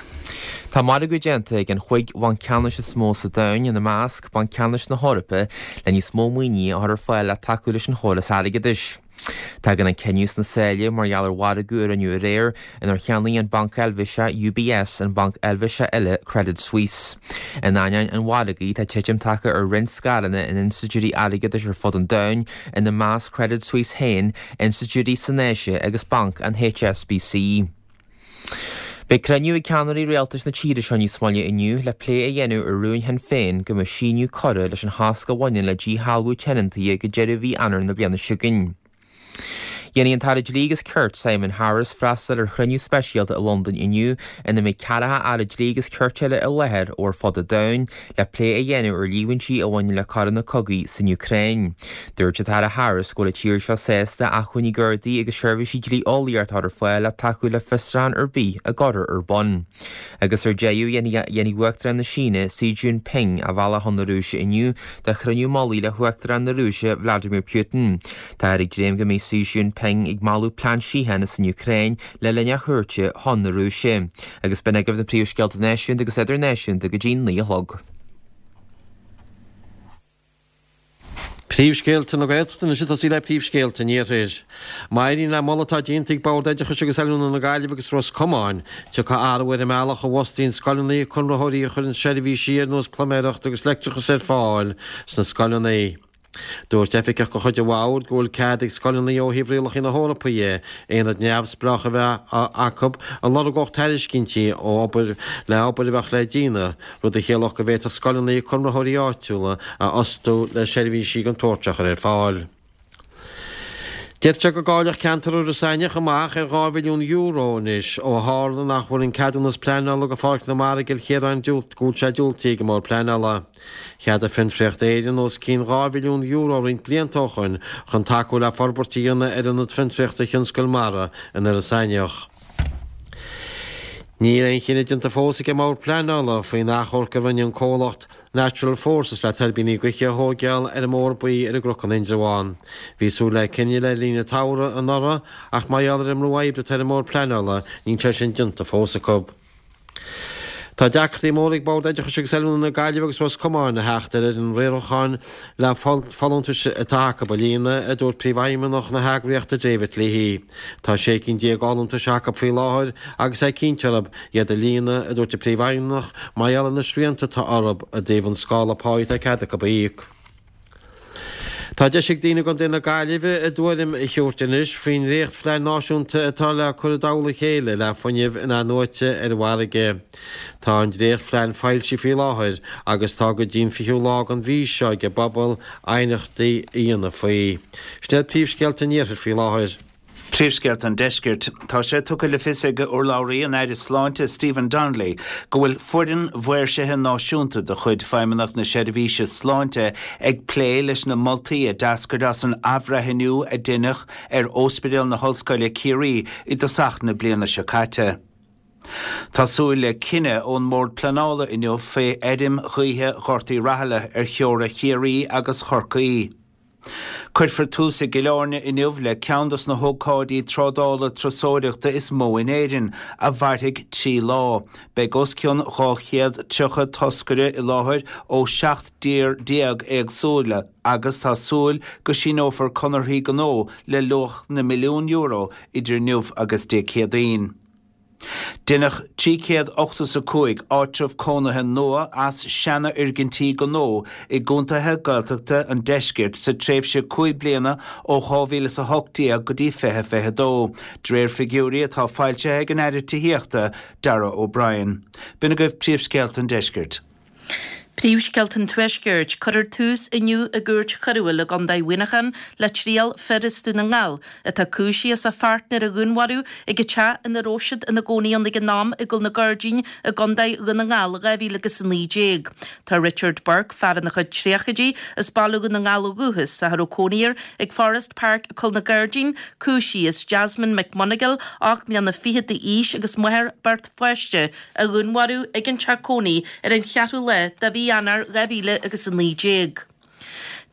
Tá margadh déanta ag an chúig bhanc ceannais is mó sa domhan, ina measc, Banc Ceannais na hEorpa, le níos mó maoinithe a chur ar fáil le tacú leis an chóras airgeadais. Tagann an cinneadh sna sáile mar gheall ar mhargadh a rinneadh aréir inar cheannaigh an banc Eilvéiseach UBS an banc Eilvéiseach eile Credit Suisse. In ainneoin an mhargaidh, tá titim tagtha ar roinnt scaireanna in institiúidí airgeadais ar fud an domhain, ina measc Credit Suisse féin, institiúidí san Áise agus banc an HSBC. Beidh cruinniú ag ceannairí rialtais na tíre seo níos moille inniu le plé a dhéanamh ar rún Shinn Féin go mbeadh síneadh curtha leis an chosc a bhaineann le díshealbhú tionóntaí go deireadh mhí Eanáir na bliana seo chugainn. Déanfaidh an tAire Dlí agus Cirt Simon Harris freastal ar chruinniú speisialta i Londain inniu ina mbeidh ceathracha Aire Dlí agus Cirt eile i láthair ó ar fud an domhain le plé a dhéanamh ar líomhaintí a bhaineann le coireanna cogaidh san Úcráin. Dúirt an tAire Harris go bhfuil an tír seo sásta acmhainní Gardaí agus seirbhísí dlí-eolaíochta a chur ar fáil le tacú le fiosrúchán ar bith a gcuirfear ar bun. Agus ar deireadh, dhéanfaidh Uachtarán na Síne, Xi Jinping, a bhealach chun na Rúise inniu do chruinniú mullaigh le hUachtarán na Rúise, Vladimir Putin. Táthar ag dréim go mbeidh Xi Jinping ag moladh plean síochána san Úcráin le linn a chuairte chun na Rúise. Agus b'in agaibh na príomhscéalta náisiúnta agus idirnáisiúnta go dtí 9 a chlog. Príomhscéalta na Gaeltachta anois ag tosaí le príomhscéalta an Iarthair. Má éiríonn le moladh atá déanta ag Bord Oideachais agus Oiliúna na Gaillimhe agus Ros Comáin, tiocfaidh athrú ar an mbealach a bhfostaíonn scoileanna conraitheoirí a chuireann seirbhísí ar nós pluiméireacht agus leictreachas ar fáil sna scoileanna. Dúirt oifigeach de chuid an bhoird go bhfuil cead ag scoileanna ó thaobh rialacha na hEorpa dhe aonad neamhspleách a bheith acu a lorgódh tairiscintí ó obair le obair a bheadh le déanamh, rud a chiallódh go bhféadfadh scoileanna conraitheoirí áitiúla a fhostú le seirbhísí den tsórt seo a chur ar fáil. D'fhéadfadh sé go gcaillfeadh ceantar Iorras Aithneach amach ar €2 mhilliún anois ó tharla nach bhfuil an ceadúnas pleanála do Pháirc na Mara i gCill Chiaráin go bhfuil sé diúltaithe ag an mBord Pleanála. Cheadaigh Fiontraíocht Éireann os cionn €2 mhilliún roinnt blianta ó shoin chun tacú le forbairt a dhéanamh ar Ionad Fiontraíochta Thionscal Mara in Iorras Aithneach. Níl aon chinneadh déanta fós ag an mBord Pleanála faoin achomharc a rinne an comhlacht Natural Forces le tuirbíní gaoithe a thóigeáil ar an mBóthar Buí ar an gCnoc in Indreabhán. Bhí súil le cinneadh le linn an tsamhraidh anuraidh ach mar gheall ar an mbrú oibre atá ar an mBord Pleanála níl sé sin déanta fós acu. Tá deacrachtaí móra ag Bord Oideachais agus Oiliúna na Gaillimhe agus Ros Comáin a theacht ar fhoireann riaracháin le folúntais atá acu a líonadh, a dúirt Príomhfheidhmeannach na heagraíochta David Leahy. Tá 16 cinn d'fholúntais acu faoi láthair agus é cinnte orthu iad a líonadh, a dúirt an Príomhfheidhmeannach, mar gheall ar na srianta atá orthu i dtaobh an scála páí atá cead acu a íoc. Tá deis ag daoine i gContae na Gaillimhe a dtuairim a thabhairt anois faoin ndréachtphlean náisiúnta atá le cur i dtoll a chéile le fuinneamh in-athnuaite ar an bhfarraige. Tá an dréachtphlean foilsithe faoi láthair agus tá go dtí an 20ú lá den mhí seo ag an bpobal aighneachtaí a dhéanamh faoi. Sin iad príomhscéalta an iarthair faoi láthair. Príomhscéalta an Deiscirt. Tá sé tugtha le fios ag urlabhraí an Aire Sláinte Stephen Donnelly go bhfuil foireann mhaoirsithe náisiúnta de chuid Feidhmeannacht na Seirbhíse Sláinte ag plé leis na moltaí a d'eascair as an athbhreithniú a deineadh ar Ospidéal na hOllscoile Ciarraí i dtosach na bliana seo caite. Tá súil le cinneadh ón mBord Pleanála inniu fé fheirm ghaoithe Ghort Uí Rathaille ar theora Chiarraí agus Chorcaí. Cuirfear tús i gCill Airne inniu le ceann dos na hócáidí trádála turasóireachta is mó in Éirinn, a mhairfidh 3 lá. Beidh os cionn 230 toscaire i láthair ó 17 dtír éagsúla agus tá súil go síneofar conarthaí gnó le luach na milliún euro idir inniu agus Dé Céadaoin. Deineadh 385 áitreabh cónaithe nua as seanfhoirgintí gnó i gcontaetha Gaeltachta an deiscirt sa tréimhse 5 bliana ó 2018 go dtí 2022, de réir figiúirí atá foilsithe ag an Aire Tithíochta, Darragh O'Brien. B'in agaibh príomhscéalta an deiscirt. Príomhscéalta an Tuaiscirt, Cuirfear tús inniu i gCúirt Choiriúil i gContae Mhuineacháin le triail fir as Dún na nGall atá cúisithe as a pháirtnéir a dhúnmharú ag an teach ina raibh siad ina gcónaí ann ag an am i gCúil na Gairdín i gContae Dhún na nGall i 2019. Tá Richard Burke, fear ina chuid tríochaidí, as Baile Dhún na nGall ó dhúchas ach a raibh cónaí air ag Forest Park i gCúil na Gairdín, cúisithe as Jasmine McMonagle, 8 mbliana fichead d'aois agus máthair beirt pháiste, a dhúnmharú ag an teach cónaí ar an cheathrú lá de mhí Eanáir 2019.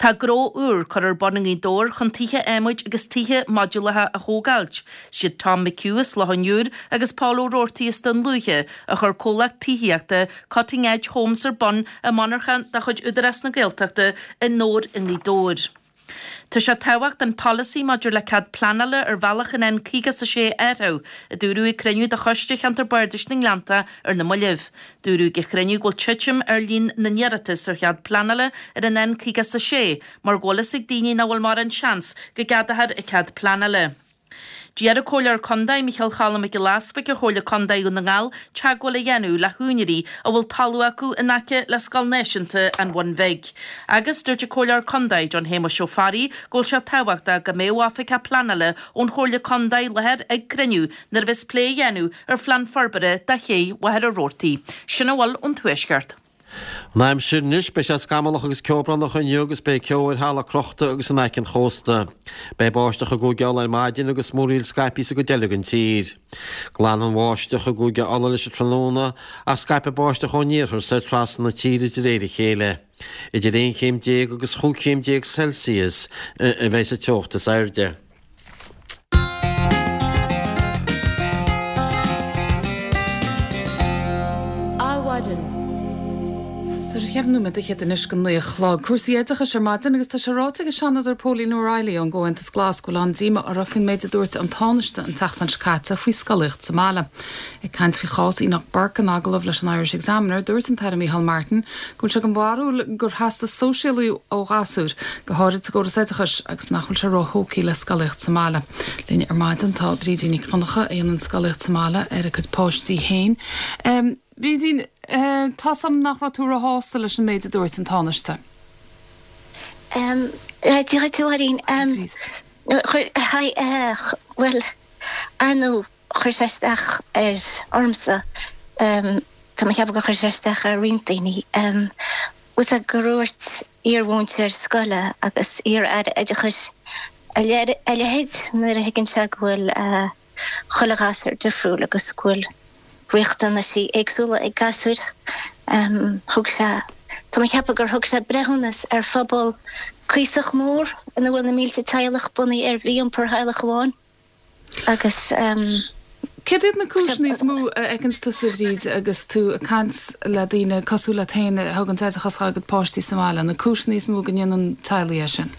Tá gnó úr curtha ar bun i nGaoth Dobhair chun tithe adhmaid agus tithe modúlacha a thógáilt. Siad Tom McHugh as Loch an Iúir agus Paul Ó Roarty as Dún Lúiche a chuir comhlacht tithíochta Cutting Edge Homes ar bun i monarchan de chuid Údarás na Gaeltachta i nDobhar i nGaoth Dobhair. Tá sé tábhachtach an polasaí maidir le cead pleanála ar bhealach an N56 a athrú, a dúradh ag cruinniú de Choiste Cheantar Bardais na nGleannta ar na mallaibh. Dúradh ag an chruinniú go bhfuil titim ar líon na n-iarratas ar chead pleanála ar an N56 mar go bhfuil fhios ag daoine nach bhfuil mórán seans go gceadófar an cead pleanála. D'iarr an Comhairleoir Contae, Micheál Cholm Mac Giolla Easbuig ar Chomhairle Contae Dhún na nGall teagmháil a dhéanamh le húinéirí a bhfuil talamh acu in aice le Scoil Náisiúnta an Bhun Bhig. Agus dúirt an Comhairleoir Contae, John Shéamuis Ó Fearraigh, go bhfuil sé tábhachtach go mbeadh oifigeach pleanála ón Chomhairle Contae i láthair ag cruinniú nuair a bheas plé á dhéanamh ar phlean forbartha do ché Mhachaire Rabhartaigh. Sin a bhfuil ón Tuaisceart. An aimsir anois, beidh sé scamallach agus ceobhránach inniu agus beidh ceo ar thalamh crochta agus in aice an chósta. Beidh báisteach i gCúige Uladh ar maidin agus múraíl scaipthe sa gcuid eile den tír. Glanfaidh an bháisteach i gCúige Uladh leis an tráthnóna ach scaipfidh báisteach ón iarthar soir trasna na tíre de réir a chéile. Idir 11 chéim agus chúig chéim déag Celsius a bheidh sa teocht is airde. Adhmhaidin. Tá sé cheithre nóiméad fhichead anois go 9 a chlog. Cúrsaí oideachais ar maidin agus tá sé ráite ag an Seanadóir Póilín O'Reilly ón gComhaontas Glas go bhfuil an-díoma uirthi faoin méid a dúirt an Tánaiste an tseachtain seo caite faoi scolaíocht sa mbaile. Ag caint faoi chás Enoch Burke in agallamh leis an Irish Examiner, dúirt an tAire Micheál Martin go bhfuil sé den bharúil gur theastaigh sóisialú ó ghasúir, go háirid sa gcóras oideachais, agus nach bhfuil sé róthógtha le scolaíocht sa mbaile. Linn ar maidin tá Brídín Nic Dhonncha, a dhéanann scolaíocht sa mbaile ar a cuid páistí féin. Brídín, tá's a'm nach raibh tú róshásta leis an méid a dúirt an Tánaiste. Dia dhuit a Mháirín. Bhuel, ar ndóigh, chuir sé isteach ar ormsa. Tá mé ag ceapadh gur chuir sé isteach ar roinnt daoine. Bhfuil a fhios agat gur dhúirt iar-mhúinteoir scoile agus iar-aire oideachais a leithéid nuair a thuigeann sé go bhfuil chuile ghasúr difriúil agus go bhfuil riachtanaisí éagsúla ag gasúir. Thug sé, tá mé ag ceapadh gur thug sé breithiúnas ar phobal cuíosach mór ina bhfuil na mílte teaghlach bunaithe ar mhí-iompar theaghlach amháin. Agus. Céard iad na cúiseanna is mó a fheiceanns tusa, a Bhríd, agus tú ag caint le daoine cosúil leat féin a thuganns oideachas dá gcuid páistí sa mbaile, na cúiseanna is mó go ndéanann teaghlaigh é sin?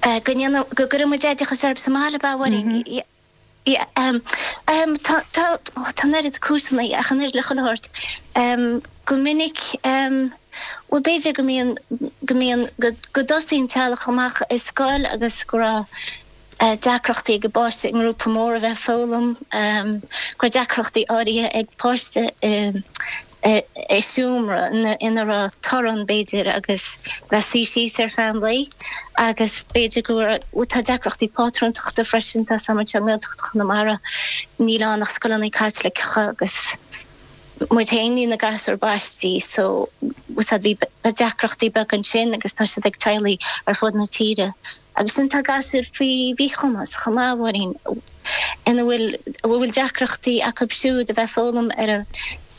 Go ndéanann, go gcuireann muid oideachas orthu sa mbaile, ab ea, a Mháirín? Yeah. Tá, tá, tá an oiread cúiseanna ach an oiread le chuile shórt. Go minic, bhuel b'fhéidir go mbíonn, go mbíonn, go, go dtosaíonn teaghlach amach i scoil agus go raibh, deacrachtaí ag an bpáiste i ngrúpa mór a bheith ag foghlaim, go raibh deacrachtaí áirithe ag páiste i seomra ina raibh torann, b'fhéidir, agus bheith suí síos ar feadh an lae agus b'fhéidir go raibh, tá deacrachtaí pátrúntachta freisin, tá a fhios agam anseo i nGaeltacht Chonamara níl ann ach scoileanna Caitliceacha agus muid féin níl na gasúir baistí so bhí deacrachtaí beaga ansin agus tá siad ag teaghlaigh ar fud na tíre. Agus ansin tá gasúir faoi mhíchumas chomh maith, a Mháirín, ina bhfuil, a bhfuil deacrachtaí acu siúd a bheith ag foghlaim ar an,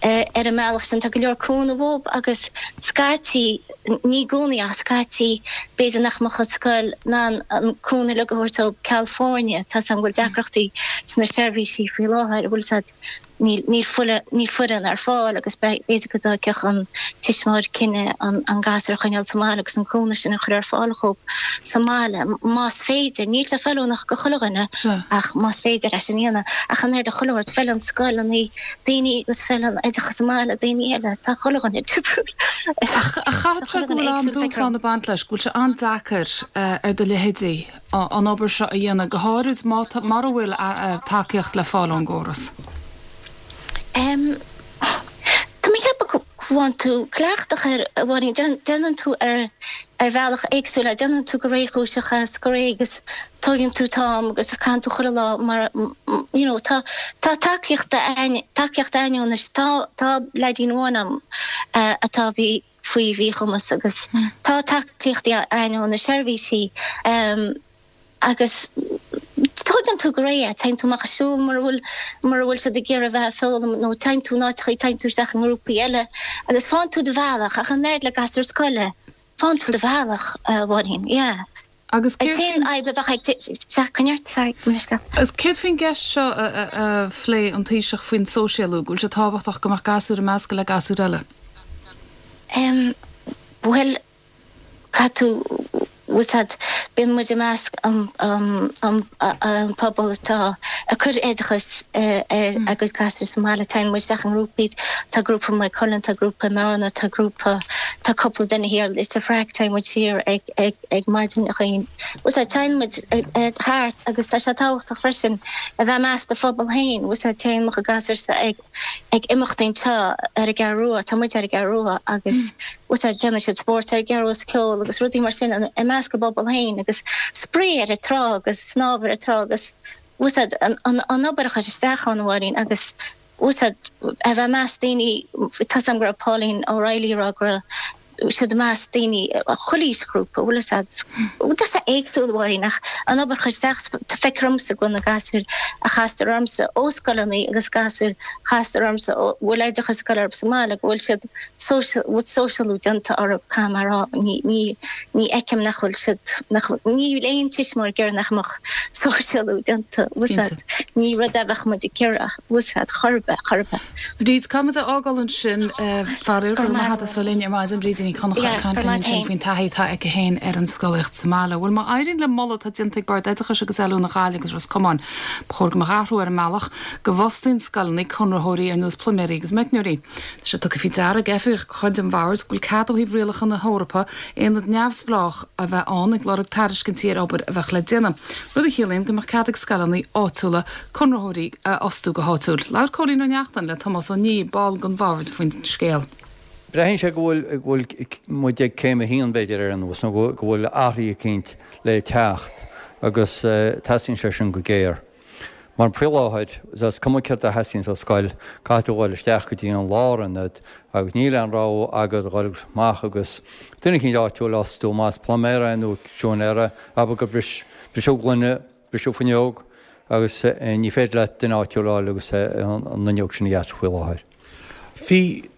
ar an mbealach sin. Tá go leor cúnamh uathu agus scaití, ní i gcónaí ach scaití, b'fhéidir nach mbeadh an scoil in ann an cúnamh uilig a thabhairt dóibh ceal foirne. Tá a fhios agam go bhfuil deacrachtaí sna seirbhísí faoi láthair, a bhfuil a fhios agat. Níl foireann ar fáil agus b'fhéidir go dtógfadh an tuismitheoir cinneadh an gasúr a choinneáil sa mbaile agus an cúnamh sin a chur ar fáil dhóibh sa mbaile, más féidir. Níl sé feiliúnach do chuile dhuine ach más féidir é sin a dhéanamh. Ach an oiread le chuile shórt, feileann scoileanna daoine agus feileann oideachas sa mbaile daoine eile. Tá chuile dhuine difriúil. Ach chaithfeadh sé go bhfuil an-dúshlán ag baint leis, go bhfuil sé an-deacair ar do leithéidí. an obair seo a dhéanamh, go háirid má tá, mara bhfuil tacaíocht le fáil ón gcóras? Tá mé ag ceapadh go. Faigheann tú cleachtadh air, a Mháirín, déanann tú ar ar bhealach éagsúil é, déanann tú go réchúiseach é is go réidh agus tóigeann tú t-am agus caitheann tú chuile lá mar you know tá tá tacaíocht a'ainn, tacaíocht a'ainn anois, tá tá leaidín amháin a'm atá bhí faoi mhíchumas agus tá tacaíochtaí a'ainn ó na seirbhísí. Agus tóigeann tú go réidh é, téann tú amach ag siúl mura bhfuil, mura bhfuil siad ag iarraidh bheith ag foghlaim nó téann tú in áiteachaí, téann tú isteach i ngrúpaí eile agus faigheann tú do bhealach ach an oiread le gasúr scoile, faigheann tú do bhealach, a Mháirín, yeah. Agus céard faoin. An t-aon fhadhb a bheadh ag, sea, coinnigh ort, sorry, mo leithscéal. Agus céard faoin gceist seo a phléigh an Taoiseach faoin sóisialú, go bhfuil sé tábhachtach go mbeadh gasúir ag meascadh le gasúir eile? Em, bhuel, Caithfidh tú, bhfuil 's a'd, bíonn muid i measc an pobal atá ag cur oideachas ar a gcuid gasúir sa mbaile. Téann muid isteach i ngrúpaí, tá grúpa i Maigh Cuilinn, tá grúpa i mBearna, tá grúpa, tá cúpla duine thiar i Leitir Fraic, téann muid siar ag, ag, ag maidineacha. Bhfuil 's a'd, téann muid thart agus tá sé tábhachtach freisin a bheith i measc do phobal féin, bhfuil 's a'd, téann mo chuid gasúrsa ag, ag imeachtaí anseo ar an gCeathrú Rua, tá muid ar an gCeathrú Rua agus bhfuil 's a'd déanann siad spórt ar an gCeathrú Rua is ceol agus rudaí mar sin i measc a bpobal féin agus spraoi ar an trá agus snámh ar an trá agus bhfuil 's a'd an obair a chur isteach ann a Mháirín agus bhfuil 's a'd a bheith i measc daoine, tá 's a'm go raibh Pauline O'Reilly ag rá go raibh siad i measc daoine chuile aoisghrúpa, bhfuil 'fhios a'd. Tá sé éagsúil a Mháirín ach an obair a chur isteach, feictear dhomsa go bhfuil na gasúir a chastar ormsa ó scoileanna agus gasúir a chastar ormsa a bhfuil oideachas ag dul orthu sa mbaile go bhfuil siad bhfuil sóisialú déanta orthu, caithfidh mé a rá, ní, ní, ní fheicim nach bhfuil siad, nach, níl aon tuismitheoir ag iarraidh nach mbeadh sóisialú déanta, bhfuil 'fhios a'd, ní rud é a bheadh muid ag iarraidh, bhfuil 'fhios a'd, chor ar bith, chor ar bith. Bríd, caithfidh muid a fhágáil ansin. Faraor, go raibh maith agat as bheith linn ar maidin. Brídín Ní Chonchúir ag caint linn ansin faoin taithí atá aici féin ar an scolaíocht sa mbaile. Bhuel, má éiríonn le moladh atá déanta ag Bord Oideachais agus Oiliúna Ghaillimh agus Ros Comáin, ba chóir go mbeadh athrú ar an mbealach go bhfostaíonn scoileanna conraitheoirí ar nós pluiméirí agus meicneoirí. Tá sé tugtha faoi deara ag oifigeach de chuid an Bhoird go bhfuil cead ó thaobh rialacha na hEorpa aonad neamhspleách a bheith ann ag lorg tairiscintí ar obair a bheadh le déanamh, rud a chiallaíonn go mbeadh cead ag scoileanna áitiúla conraitheoirí a fhostú go háitiúil. Labhair Cóilín Ó Neachtain le Tomás Ó Niaidh, ball den bhord, faoin scéal. Braitheann sé go bhfuil muid ag céim a haon, b'fhéidir, ar aon nós, nó go bhfuil athruithe eicínt le teacht agus teastaíonn sé sin go géar. Mar faoi láthair, is cuma céard a theastaíonns ó scoil, caithfidh tú a dhul isteach go dtí an lárionad agus níl aon rogha agat a dhul amach agus duine eicínt áitiúil a fhostú, más pluiméir é nó siúinéir é, abair gur bris, briseadh gloine, Briseadh fuinneog agus ní féidir leat duine áitiúil a fháil agus an fhuinneog sin a dheasú faoi láthair. Bhí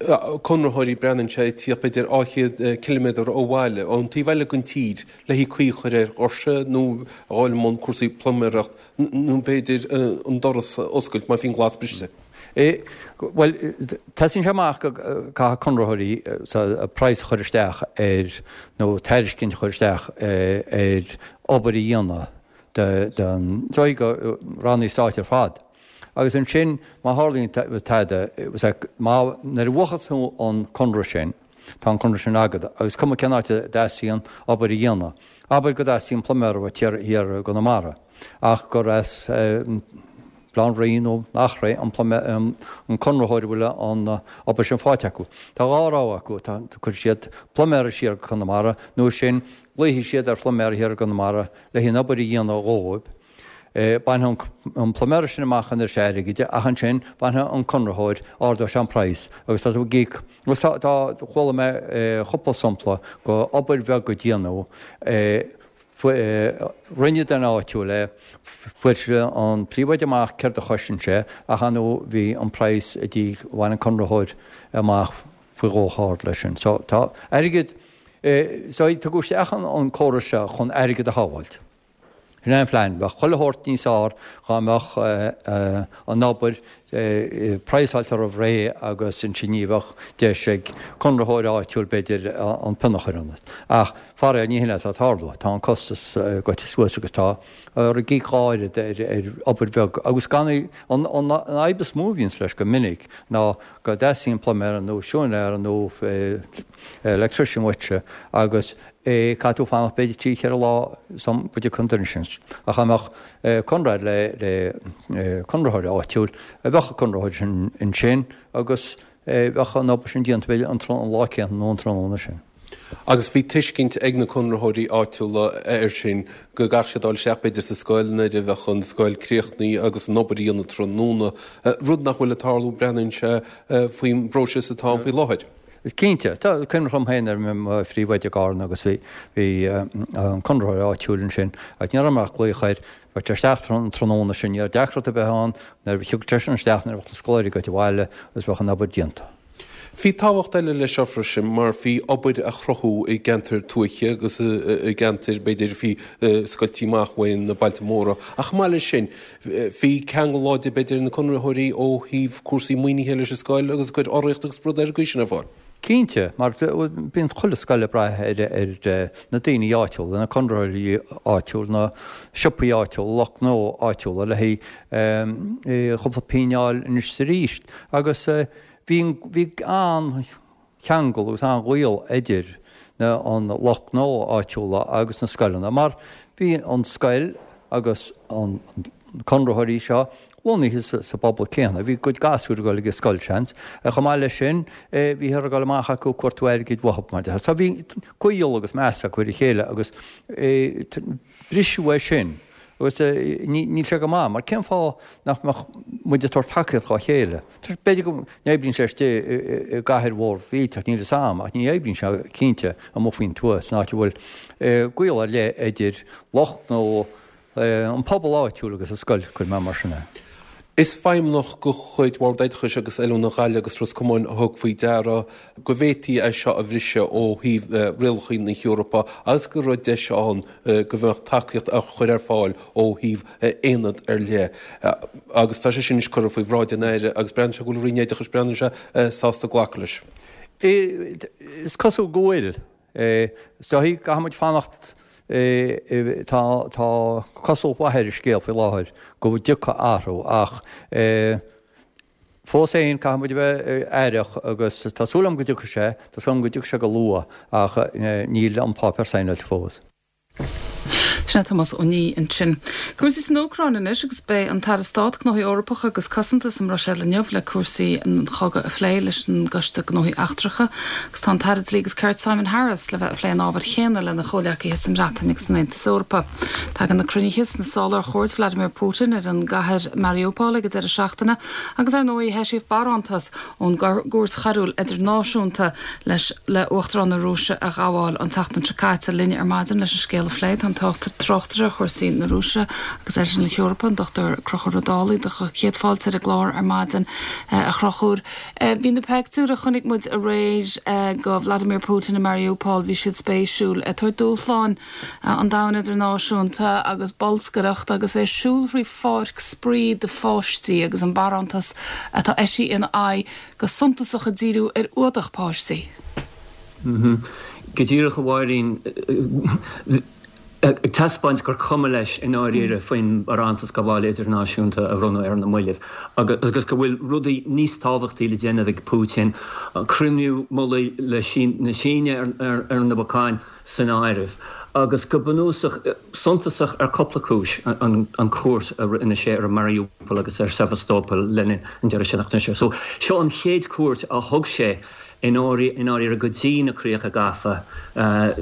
conraitheoirí, breathnaíonn sé, ag tíocht b'fhéidir 200 ciliméadar ó bhaile, ón taobh eile den tír, le haghaidh caoi a chur ar dhoirse nó a dhul i mbun cúrsaí pluiméireacht nó b'fhéidir an doras a oscailt má bhíonn glas briste. Bhuel, teastaíonn sé amach go gcaithfidh conraitheoirí praghas a chur isteach ar, nó tairiscint a chur isteach ar obair a dhéanamh don do rannaí stáit ar fad. Agus ansin, má tharlaíonn tada, má, nuair a bhuachas tú an conradh sin, tá an conradh sin agat, agus cuma cén áit a dteastaíonn obair a dhéanamh. Abair go dteastaíonn pluiméir uait thiar i gConamara, ach gur as Baile Átha an Rí nó Achréidh an an conraitheoir a bhfuil an obair sin faighte acu. Tá dhá rogha acu, cuirfidh siad pluiméara siar go Conamara nó sin glaofaidh siad ar phluiméara thiar i gConamara le haghaidh an obair a dhéanamh dhóibh. Bainfidh an pluiméara sin amach an oiread sin airgid ach ansin bainfidh an conraitheoir, ardóidh sé an praghas agus tá tú ag íoc. Agus tá, tá, chuala mé cúpla sampla go obair bheag a déanadh, Rinne duine áitiúil é, fuair an príomhoide amach céard a chosain sé ach ar ndóigh bhí an praghas a bhain an conraitheoir amach faoi dhó chomh hard leis sin. So tá airgead, so tugadh isteach an córas seo chun airgead a shábháilt. Sin é an phlean. Bheadh chuile shórt níos fearr dhá mbeadh an obair praghsáilte roimh ré agus ansin ní bheadh deis ag conraitheoir áitiúil b'fhéidir an pionna a chur ionat. Ach faraor ní hin atá ag tarlú. Tá an costas gaibhte suas agus tá ag íoc dhá oiread ar obair bheag agus gan í. An fhadhb is mó a bhíonns leis go minic ná go dteastaíonn pluiméir nó siúinéir nó electrician uaitse agus caithfidh tú fanacht b'fhéidir trí cheithre lá sula dtiocfaidh an duine sin. Ach dá mbeadh conradh le conraitheoir áitiúil, bheadh an conraitheoir sin ansin agus. Bheadh an obair sin déanta b'fhéidir an lá céanna nó an tráthnóna sin. Agus bhí tuiscint ag na conraitheoirí áitiúla air sin go gcaithfeadh siad dul isteach b'fhéidir sa scoil nuair a bheadh an scoil críochnaithe agus an obair a dhéanamh tráthnóna, rud nach bhfuil ag tarlú, breathnaíonn sé, faoin bpróiseas atá ann faoi láthair. Cinnte. Tá cuimhne agam féin ar mo phríomhoide i gCarna agus bhí bhí an conraitheoir áitiúil ansin agus ní raibh mé ach glaoch air, bheadh sé isteach an tráthnóna sin, ní raibh deacracht ar bith ann, nuair a thiocfadh seisean isteach nuair a bheadh na scoláirí gaibhte abhaile agus bheadh an obair déanta. Bhí tábhacht eile leis seo freisin mar bhí obair a chruthú i gceantair tuaithe agus i gceantair, b'fhéidir, a bhí scoilte amach uaidh na bailte móra. Ach chomh maith leis sin, bhí ceangal láidir, b'fhéidir, ar na conraitheoirí ó thaobh cúrsaí maoinithe leis an scoil agus ag cur urraíocht agus rudaí ar an gcaoi sin ar fáil. Cinnte, mar bíonn chuile scoil ag brath ar na daoine áitiúla, na conraitheoirí áitiúla, na siopaí áitiúla, lucht gnó áitiúla le haghaidh chúpla pingin a fháil anois is arís. Agus bhí bhí an-cheangal agus an-ghaol idir na an lucht gnó áitiúla agus na scoileanna mar bhí an scoil agus an conraitheoirí seo lonnaithe sa bpobal céanna. Bhí a gcuid gasúir ag dul ag an scoil, seans. Chomh maith leis sin, bhíothar ag dul amach acu ag cuartú airgid uathu, mar deir. So bhí gaol agus meas acu ar a chéile agus briseadh é sin agus níl sé go maith mar cén fáth nach mbeadh muid ag tabhairt tacaíocht dhá chéile? B'fhéidir go n-oibríonn sé istigh i gcathair mhór mhillteach, níl fhios a'm, ach ní oibríonn sé cinnte amuigh faoin tuath san áit a bhfuil gaol ar leith idir lucht gnó an pobal áitiúil agus an scoil, cuir mé mar sin é. Is feidhmeannach de chuid Bhord Oideachais agus Oiliúna Ghaillimh agus Ros Comáin a thug faoi deara go bhféadfaí é seo a bhriseadh ó thaobh rialacha na hEorpa agus go raibh deis ann go mbeadh tacaíocht á chur ar fáil ó thaobh aonad ar leith. Agus tá sé sin anois curtha faoi bhráid an Aire agus breathnaíonn sé go bhfuil an Roinn Oideachais, breathnaíonn sé, sásta glacadh leis. Is cosúil go bhfuil. Is dóigh, caithfidh muid fanacht, tá cosúlacht mhaith ar an scéal faoi láthair go dtiocfaidh athrú ach fós féin caithfidh muid a bheith aireach agus tá súil agam go dtiocfaidh sé, tá súil agam go dtiocfaidh sé go luath ach níl an páipéar saighneáilte fós. Sin é Tomás Ó Niaidh ansin. Cúrsaí san Úcráin anois agus beidh an tAire Stáit Gnóthaí Eorpacha agus Cosanta sa mBruiséil inniu le cúrsaí an chogaidh a phlé leis an gCoiste Gnóthaí Eachtracha agus tá an tAire Dlí agus Cirt Simon Harris le bheith ag plé an ábhair chéanna lena chomhghleacaithe sa mBreatain agus san Aontas Eorpach. Tagann na cruinnithe sna sála ar chuairt Vladimir Putin ar an gcathair Mariupol ag an deireadh seachtaine agus ar ndóigh heisíodh barántas ón gCúirt Choiriúil Idirnáisiúnta leis le Uachtarán na Rúise a ghabháil an tseachtain seo caite. Linn ar maidin leis an scéal a phlé tá an tráchtaire ar chúrsaí na Rúise agus Oirthear na hEorpa, an Dr Conchúr Ó Dálaigh. Do chéad fáilte ar an gclár ar maidin, a Chonchúir. Bhí na peictiúir a chonaic muid aréir go Vladimir Putin i Mariupol, bhí siad spéisiúil. Ag tabhairt dúshláin an domhain idirnáisiúnta agus bolscaireacht agus é ag siúl thrí pháirc spraoi do pháistí agus an barántas atá eisithe ina aghaidh go suntasach ag díriú ar fhuadach páistí. Go díreach, a Mháirín, ag taispeáint gur cuma leis i ndáiríre faoin mbarántas gabhála idirnáisiúnta a bronnadh ar na mallaibh agus go bhfuil rudaí níos tábhachtaí le déanamh ag Putin, cruinniú mullaigh le na Síne ar na bacáin. san áireamh, agus go bunúsach, suntasach ar cúpla cúis, an chuairt a rinne sé ar Mariupol agus ar Sevastopol le linn an deireadh seachtaine seo. So, seo an chéad chuairt a thug sé i ndáiríre go dtí na críocha gafa,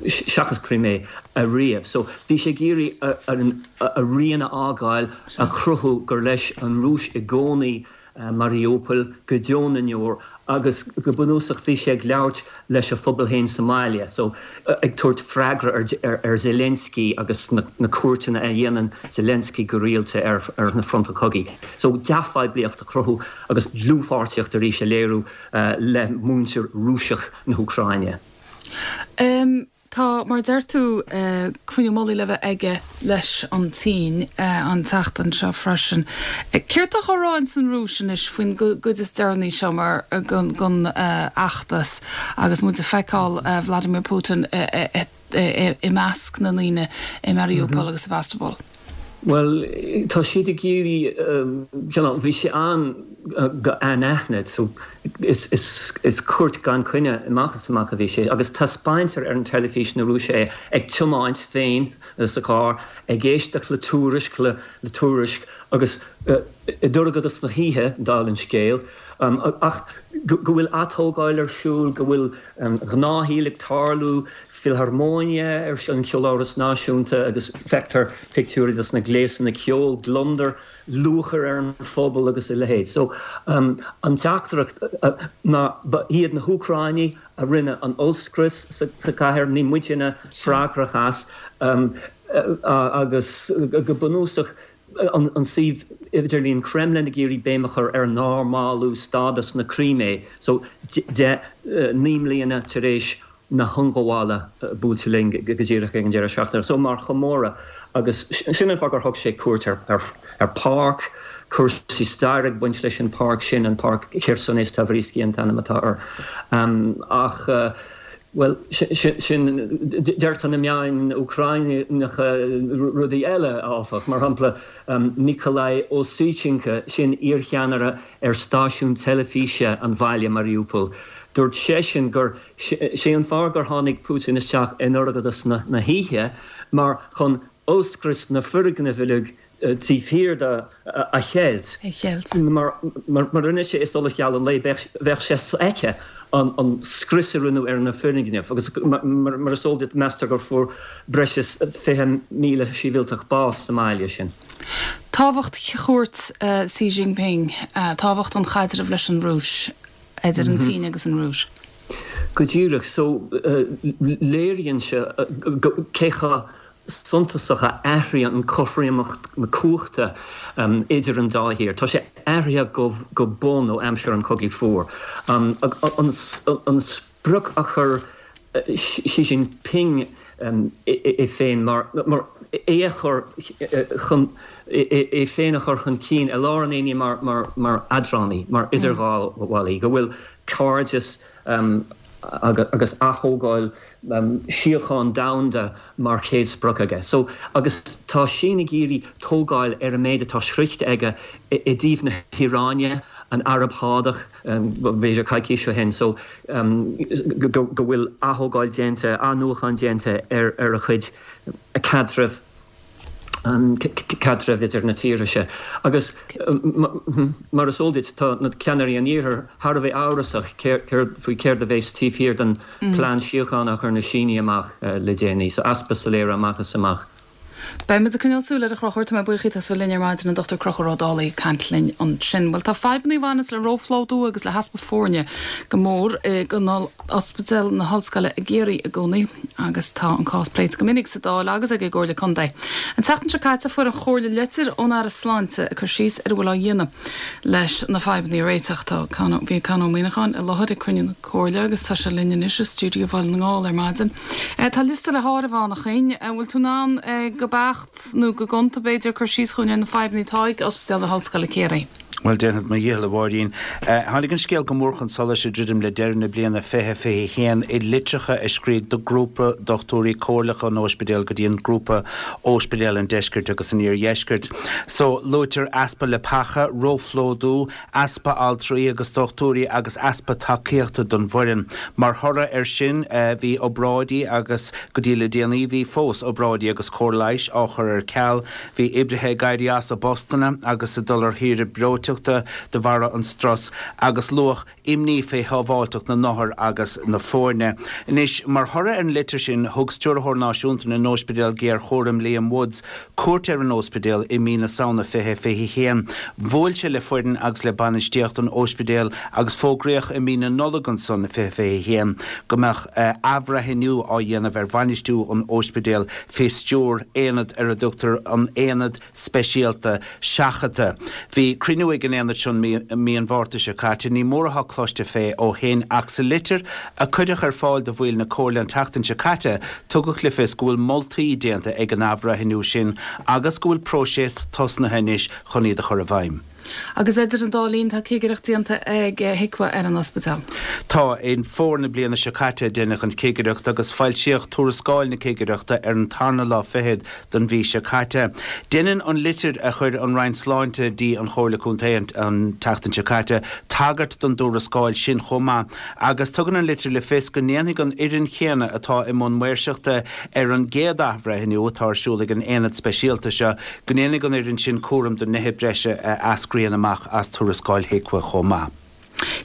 seachas Crimea, ariamh. So, bhí sé ag iarraidh a rian a fhágáil, a chruthú gur leis an Rúis i gcónaí Mariupol go deo na ndeor agus go bunúsach bhí sé ag labhairt leis a phobal féin sa mbaile so ag tabhairt freagra ar Zelensky agus na cuairteanna a dhéanann Zelensky go rialta ar na fronta cogaidh. So dea-phoiblíocht a chruthú agus dlúthpháirtíocht arís a léiriú le muintir Rúiseach na hÚcráine. Tá, mar a deir tú, cruinniú mullaigh le bheith aige leis an tSín an tseachtain seo freisin. Céard atá á rá ins an Rúis anois faoin gcuid is deireanaí seo mar den fheachtas agus muid ag feiceáil Vladimir Putin i measc na ndaoine i Mariupol agus Sevastopol? Bhuel, tá siad ag iarraidh, you know, bhí sé ann go anaithnid, so is cuairt gan coinne amach is amach a bhí sé, agus taispeáintear ar an teilifís na Rúise é ag tiomáint féin sa charr, ag éisteacht le tuairisc le tuairisc agus i ndorchadas na hoíche, dála an scéil. Ach. go bhfuil atógáil ar siúl, go bhfuil an gnáthshaol ag tarlú, Philharmonia ar an Cheoláras Náisiúnta agus feictear pictiúirí dos na gléasanna ceoil, gliondar, lúchair ar an phobal agus a leithéid. So an teachtaireacht ná ba iad na hÚcráinigh a rinne an ollscrios sa chathair, níl muidinne freagrach as agus go bunúsach an suíomh idirlín Kremlin ag iarraidh béim a chur ar normalú stádas na Crimé so 9 mbliana tar éis na hionghabhála buailte linn go díreach ag an deireadh seachtaine so mar chomóradh agus sin an fáth gur thug sé cuairt ar pháirc, cúrsaí staire ag baint leis an pháirc sin, an páirc Khersones Tavriski an t-ainm atá air. Ach, bhuel, sin, deirtear na meáin Úcráineacha rudaí eile, áfach, mar shampla Nikolai Osichenko, sin iarcheannaire ar stáisiún teilifíse an bhaile, Mariupol, dúirt seisean gur sé an fáth gur tháinig Putin isteach in dorchadas na hoíche mar chun ollscrios na foirgnimh uilig taobh thiar de a cheilt. Mar mura rinne sé i solas geal an lae bheadh sé sofheicthe an scrios a rinneadh ar na foirgnimh agus mar is eol duit meastar gur fuair breis is 20,000 sibhialtach bás sa mbaile sin. Tábhacht chuairt Xi Jinping, tábhacht an chaidrimh leis an Rúis, idir an tSín agus an Rúis. Go díreach. So léiríonn sé cé chomh suntasach a athraíonn an chothromaíocht na cumhachta idir an dá thír. Tá sé athraithe go bun ó aimsir an Chogaidh Fuair. An sprioc a chuir Xi Jinping é féin mar é a chur chun é féin a chur chun cinn i lár an aonaigh mar eadránaí, mar idirghabhálaí, go bhfuil cairdeas agus athógáil síocháin domhanda mar chéad sprioc aige. So, agus tá sin ag iarraidh tógáil ar an méid atá sroichte aige i dtaobh na hIaráine, an Araib Shádach, b'fhéidir coicís ó shin, so go bhfuil athógáil déanta, athnuachan déanta ar a chuid caidreamh, caidreamh idir na tíortha seo. Agus mar is eol duit, tá na ceannairí an Iarthair thar a bheith amhrasach faoi céard a bheas taobh thiar den plean síochána a chuir na Sínigh amach le déanaí. So easpa soiléire amach is amach. Beidh muid ag coinneáil súil air a Chonchúir. Tá mé buíoch díot as bheith linn ar maidin, an Dr Conchúr Ó Dálaigh ag caint linn ansin. Bhuel tá fadhbanna a bhaineas le róphlódú agus le heaspa foirne go mór i Ospidéal na hOllscoile i gCiarraí i gcónaí agus tá an cás pléite go minic sa Dáil agus ag an gComhairle Contae. An tseachtain seo caite fuair an Chomhairle litir ón Aire Sláinte ag cur síos ar a bhfuil á dhéanamh leis na fadhbanna a réiteach. Tá Con, bhí Con Ó Muíneacháin i láthair ag cruinniú na Comhairle agus tá sé linn anois i stiúideo Bhaile na nGall ar maidin. Tá liosta le háireamh ann a Choinn. An bhfuil tú in ann go beacht nó go gonta b'fhéidir cur síos dhúinn ar na fadhbanna atá ag Ospidéal na hOllscoile Ciarraí? Bhuel, déanfad mo dhícheall, a Mháirín. Tháinig an scéal go mór chun solais ag druidim le deireadh na bliana 2021 i litreacha a scríobh do Grúpa Dochtúirí Comhairleacha an Óispidéil go dtí an Grúpa Óispidéal an Deiscirt agus an Iardheiscirt. So, luaitear easpa leapacha, róphlódú, easpa altraí agus dochtúirí agus easpa tacaíochta don bhfoireann. Mar thoradh air sin, bhí obráidí agus, go dtí le déanaí, bhí fós, obráidí agus cóir leighis á chur ar ceal. Bhí oibrithe ag éirí as a bpostanna agus ag dul ar shaoire breoiteachta de bharra an strus agus luadh imní fé shábháilteacht na n-othar agus na foirne. Anois, mar thoradh ar an litir sin, thug Stiúrthóir Náisiúnta na nÓispidéal Géarchúraim, Liam Woods, cuairt ar an óispidéal i mí na Samhna 2021. Bhuail sé le foireann agus le bainistíocht an óispidéil agus fógraíodh i mí na Nollag ansan 2021 go mbeadh athbhreithniú á dhéanamh ar bhainistiú an óispidéil fé stiúir aonad ar a dtugtar an Aonad Speisialta Seachadta. Bhí cruinniú ag an aonad seo mí an Mhárta seo caite. Ní mór atá cloiste fé ó shin ach sa litir a cuireadh ar fáil do bhaill na Comhairle an tseachtain seo caite tugadh le fios go bhfuil moltaí déanta ag an athbhreithniú sin agus go bhfuil próiseas tosnaithe anois chun iad a chur i bhfeidhm. Agus idir an dá linn tá cigireacht déanta ag HIQA ar an ospidéal. Tá. I bhfómhar na bliana seo caite a deineadh an chigireacht agus foilsíodh tuarascáil na cigireachta ar an tarna lá fichead den mhí seo caite. Deineann an litir a chuir an Roinn Sláinte dtí an Chomhairle Contae an tseachtain seo caite tagairt don dtuarascáil sin chomh maith agus tugann an litir le fios go ndéanfaidh an fhoireann chéanna atá i mbun maoirseachta ar an gcéad athbhreithniú atá ar siúl ag an aonad speisialta seo Go ndéanfaidh an fhoireann sin cúram de nithe breise a eascraíonn amach as tuarascáil HIQA chomh maith.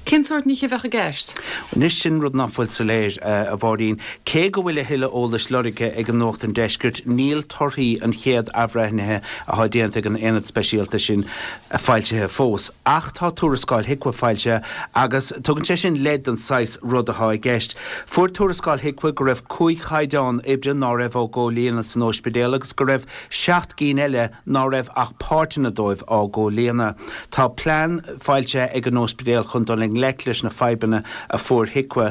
Cén sórt nithe a bheadh i gceist? Anois sin rud ná fuil soiléir, a Mháirín. Cé go bhfuil a thuilleadh eolais lorgtha ag an Nuacht an Deiscirt, níl torthaí an chéad athbhreithnithe atá déanta ag an aonad speisialta sin foilsithe fós. Ach tá tuarascáil HIQA foilsithe agus tugann sé sin leid don saghas rud atá i gceist. Fuair tuarascáil HIQA go raibh 5 chaighdeán oibre ná raibh á gcomhlíonadh san óispidéal agus go raibh 7 gcinn eile ná raibh ach páirteanna dóibh á gcomhlíonadh. Tá plean foilsithe ag an óispidéal chun dul i ngleic leis na fadhbanna a fuair HIQA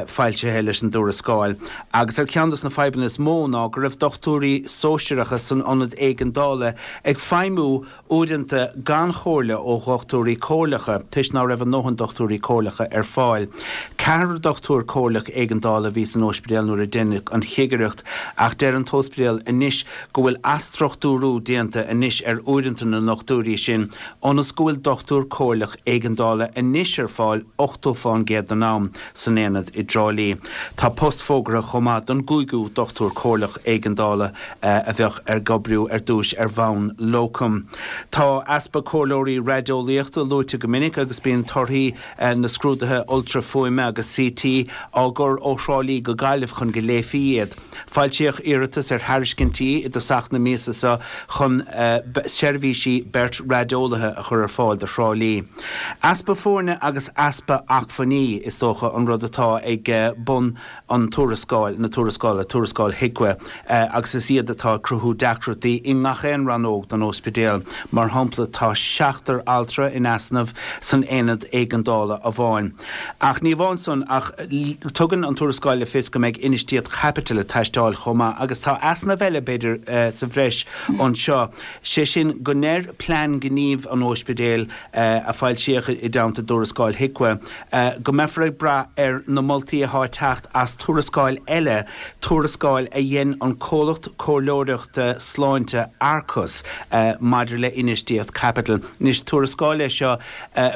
foilsithe leis an dtuarascáil. Agus ar cheann dos na fadhbanna is mó ná go raibh dochtúirí sóisearacha san ionad éigeandála ag feidhmiú uaireanta gan chomhairle ó dhochtúirí comhairleacha, toisc ná raibh a ndóthain dochtúirí comhairleacha ar fáil. Ceathrar dochtúir comhairleach éigeandála a bhí san óispidéal nuair a deineadh an chigireacht, ach deir an t-óispidéal anois go bhfuil athstruchtúrú déanta anois ar uaireanta na ndochtúirí sin ionas go bhfuil dochtúir comhairleach éigeandála anois ar fáil 80 fán gcéad den am san aonad i dTrá Lí. Tá post fógartha chomh maith don gcúigiú dochtúir comhairleach éigeandála a bheadh ag oibriú ar dtúis ar bhonn locum. Tá easpa comhairleoirí raideolaíochta luaite go minic agus bíonn torthaí na scrúduithe ultra-fhuaime agus CT á gcur ó Thrá Lí go Gaillimh chun go léifí iad. Foilsíodh iarratas ar thairiscintí i dtosach na míosa seo chun seirbhísí beirt raideolaithe a chur ar fáil do Thrá Lí. Easpa foirne agus easpa acmhainní, is dócha, an rud atá ag bun an tuarascáil, na tuarascála, tuarascáil HIQA, agus is iad atá ag cruthú deacrachtaí i ngach aon rannóg den óispidéal. Mar shampla, tá seachtar altra in easnamh san aonad éigeandála amháin. Ach ní amháin san, ach tugann an tuarascáil le fios go mbeidh infheistíocht chaipitil ag teastáil chomh maith agus tá easnamh eile, b'fhéidir, sa bhreis anseo, sé sin go ndeir plean gnímh an óispidéil, a foilsíodh i dteannta dtuarascáil HIQA, go mbeifear ag brath ar na moltaí atá ag teacht as tuarascáil eile, tuarascáil a dhein an comhlacht comhairleoireachta sláinte Arcus maidir le infheistíocht caipitil. Anois, tuarascáil é seo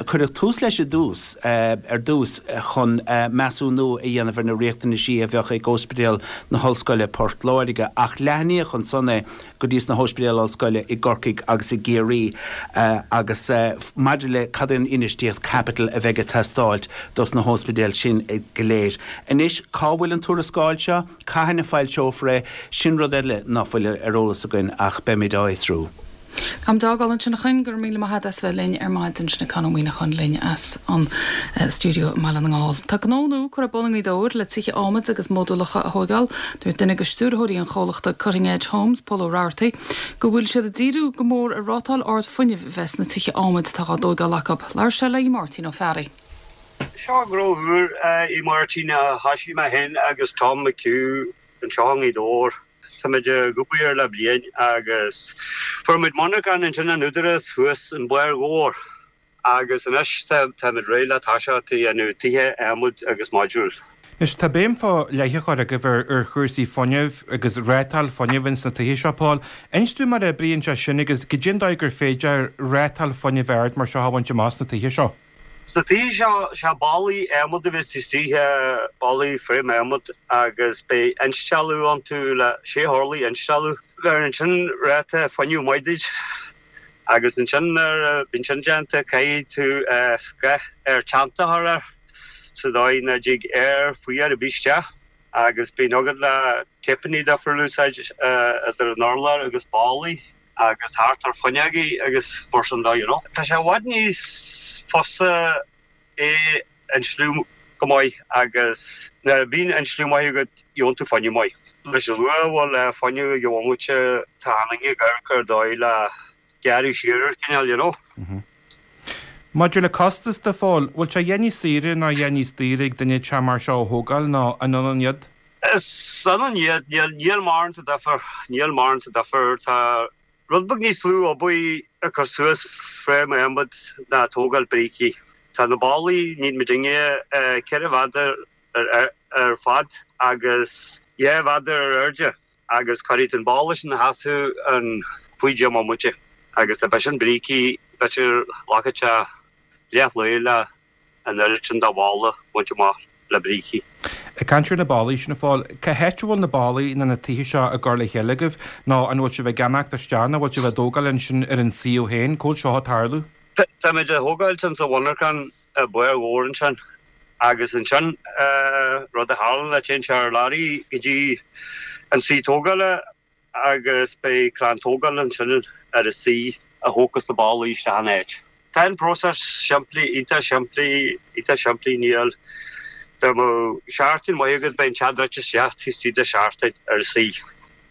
Cuireadh tús leis i dtús ar dtús chun measúnú a dhéanamh ar na riachtanaisí a bheadh ag Óispidéal na hOllscoile Port Láirge ach leathnaíodh ansan é go dtí sna hóispidéil ollscoile i gCorcaigh agus i gCiarraí agus maidir le cad é an infheistíocht caipitil a bheidh ag teastáilt dos na hóispidéil sin go léir. Anois cá bhfuil an tuarascáil seo? Cathain a foilseofar é? Sin rud eile ná fuil ar eolas againn ach beimid á fhiosrú. Táimid á fhágáil ansin a Choinn, go raibh míle maith agat as bheith linn ar maidin. Sin é Conn Ó Muíneacháin linn as an stiúideo i mBaile na nGall. Tá gnó nua curtha ar bun i nGaoth Dobhair le tithe adhmaid agus módúlacha a thóigeáil. Dúirt duine de stiúrthóirí an chomhlachta Cutting Edge Homes, Pól Ó Rabhartaigh, go bhfuil siad ag díriú go mór ar rátáil ard fuinnimh a bheith sna tithe adhmaid atá á dtóigeáil acu. Labhair sé le Máirtín Ó Fearraigh. Seo gnó úr, a Mháirtín, a thoisigh mé féin agus Tom McHugh anseo i nGaoth Dobhair. Táimid ag obair le bliain agus fuair muid monarchan ansin an Údarás thuas in Barr Dhobhair agus anois táimid réidh le toiseacht a dhéanamh tithe adhmaid agus modúil. Anois tá béim fá leith á chur agaibh ar ar chúrsaí fuinnimh agus rátáil fuinnimh ins na tithe seo, Paul. Inis dúinn mar a oibríonn sé sin agus goidé an dóigh gur féidir rátáil fuinnimh ard mar seo a bhaint amach sna tithe seo. Sna tithe seo, sé ballaí adhmaid a bheas taobh istigh, ballaí frame adhmaid agus beidh instealladh iontu le sé horlaí instealladh. Bheireann sin ráta fuinnimh maith duit agus ansin nuair a bhíonn sin déanta caithfidh tú scáth aer teannta a chur air sa dóigh nach dtig aer fuar ar bith isteach agus bíonn agat le téipeanna difriúla a úsáid idir an urlár agus ballaí. agus thart ar fuinneogaí agus mar sin de, you know. Tá sé i bhfad níos fusa é insliú go maith agus nuair a bhíonn insliú maith agat gheobhann tú fuinneamh maith. Leis an luach a bhfuil le fuinneamh ag an bhomaite tá an ag amharc ar dóigh le gearradh siar ar cineál, you know. Maidir le costas de, Phóil, bhfuil sé a dhath níos saoire nó a dhath níos daoire ag duine teach mar seo a thógáil nó an ionann iad? Is ionann iad, níl mórán de difear, níl mórán de difear. Tá rud beag níos lú obair ag cur suas frame adhmaid ná tógáil brící. Tá na ballaí, níl muidinne, 4 mhéadar ar fad agus 2 mhéadar ar airde agus cuirfidh tú an balla sin a sheasamh in 15 mbomaite agus dá b'shin brící, b'fhéidir glacfaidh sé leath lae le an oiread sin de bhalla a bhaint amach le brící. Ag caint ar na ballaí sin, a Phóil, cá háit a bhfuil na ballaí nó na tithe seo á gcur le chéile agaibh nó an bhfuil sibh ag ceannacht isteach nó bhfuil sibh á dtógáil ansin ar an suíomh féin? Cá bhfuil seo ag tarlú? Táimid á thógáilt insa mhonarchan. i bPáirc Mhór ansin agus ansin rud a tharla ná téann sé ar lorry go dtí an suí tógála agus beidh crann tógála ansin ar an suí a thógfas na ballaí isteach ina áit. Tá an próiseas simplí, iontach simplí, iontach simplí, níl, dá mbeadh seachtain maith agat beidh an teach druidte isteach taobh istigh de sheachtain ar an suí.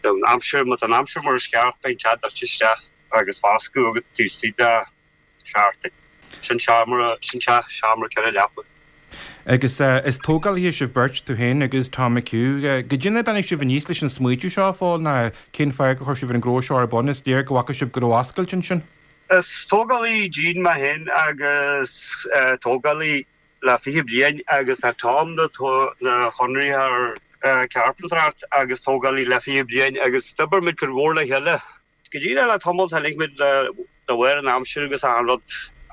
Dá an aimsir, má tá an aimsir mar is ceart beidh an teach druidte isteach agus foscadh agat taobh istigh de seachtain. Sin seomra, sin teach, seomra 4 leapa. Agus is tógálaithe sibh beirt, tú féin agus Tom McHugh. Goidé an dóigh a dtáinig sibh aníos leis an smaoitiú seo, a Phóil, ná cén fáth gur chuir sibh an gnó seo ar bun? Is léir go bhfaca sibh go raibh oscailt ansin. Is tógálaí dín mé féin agus tógálaí le 20 bliain agus tá Tom na chonraitheoir cearpantracht agus tógálaí le 20 bliain agus d'oibir muid cuid mhór le chéile. Go díreach le tamall tháinig muid le de bharr an aimsir agus achan rud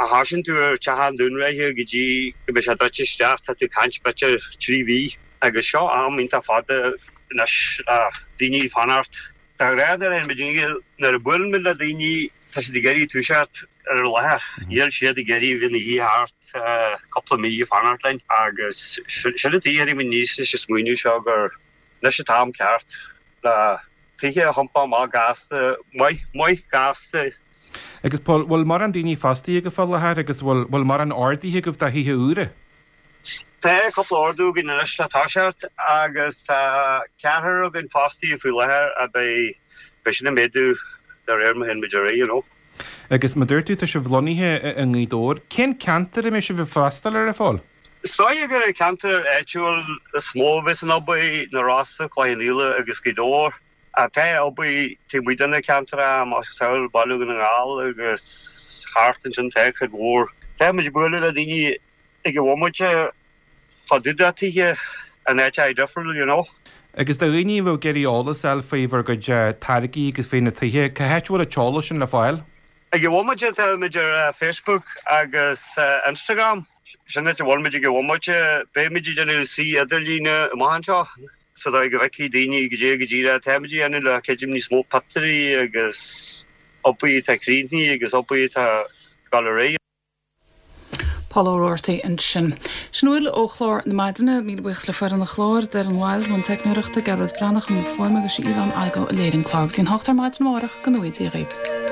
a thosaíonn tú ar teach i nDún Ráithe go dtí go mbeidh sé druidte isteach tá tú ag caint b'fhéidir 3 mhí agus seo am iontach fada anois le daoine fanacht. De ghnáth nuair a théann muid nuair a buaileann muid le daoine tá siad ag iarraidh toiseacht ar an láthair. Níl siad ag iarraidh bheith ina shuí thart cúpla mí ag fanacht linn agus sin an tuige a tháinig muid aníos leis an smaoineamh seo gur anois an t-am ceart le tithe a thiompú amach gasta, maith, maith gasta. Agus Paul, bhfuil mórán daoine fostaithe agaibh fá láthair agus bhfuil, bhfuil mórán orduithe agaibh do thithe úra? Tá cúpla ordú againn anois le toiseacht agus tá ceathrar againn fostaithe faoi láthair a beidh, beidh sin ag méadú de réir mar a théann muid ar aghaidh, you know. Agus mar dúirt tú, tá sibh lonnaithe i nGaoth Dobhair. Cén ceantar a mbeidh sibh ag freastal air, a Phóil? Is dóigh gur an ceantar áitiúil is mó a bheas an obair, Na Rosa, Cloich Cheann Fhaola agus Gaoth Dobhair. Tá obair taobh amuigh de na ceantracha, macasamhail Baile Dhún na nGall agus thart ansin tá cuid mhór. Tá muid ag bualadh le daoine ag an bhomaite fá dtaobh de tithe in áiteacha difriúla, you know. Agus do dhaoine a bheadh ag iarraidh eolas a fháil faoi bhur gcuid táirgí agus faoi na tithe, cá háit a bhfuil an t-eolas sin le fáil? Ag an bhomaite tá muid ar Facebook agus Instagram. Sin áit a bhfuil muid ag an bhomaite. Beidh muid ag déanamh suíomh idirlíne amach anseo sa dóigh go bhfeicfidh daoine goidé go díreach atá muid a dhéanamh le creidim níos mó pictiúirí agus obair atá críochnaithe agus obair atá ag dul ar aghaidh. Paul Ó Roarty ansin. Sin a bhfuil ó chlár na maidine. Míle buíochas le foireann an chláir, Doireann Wilde i mbun teicneoireachta, Gearóid Breathnach i mbun fuaime agus Yvonne Igoe a léirigh an clár. Go dtí an hocht ar maidin amárach, go ngnóthaí Dia dhaoibh.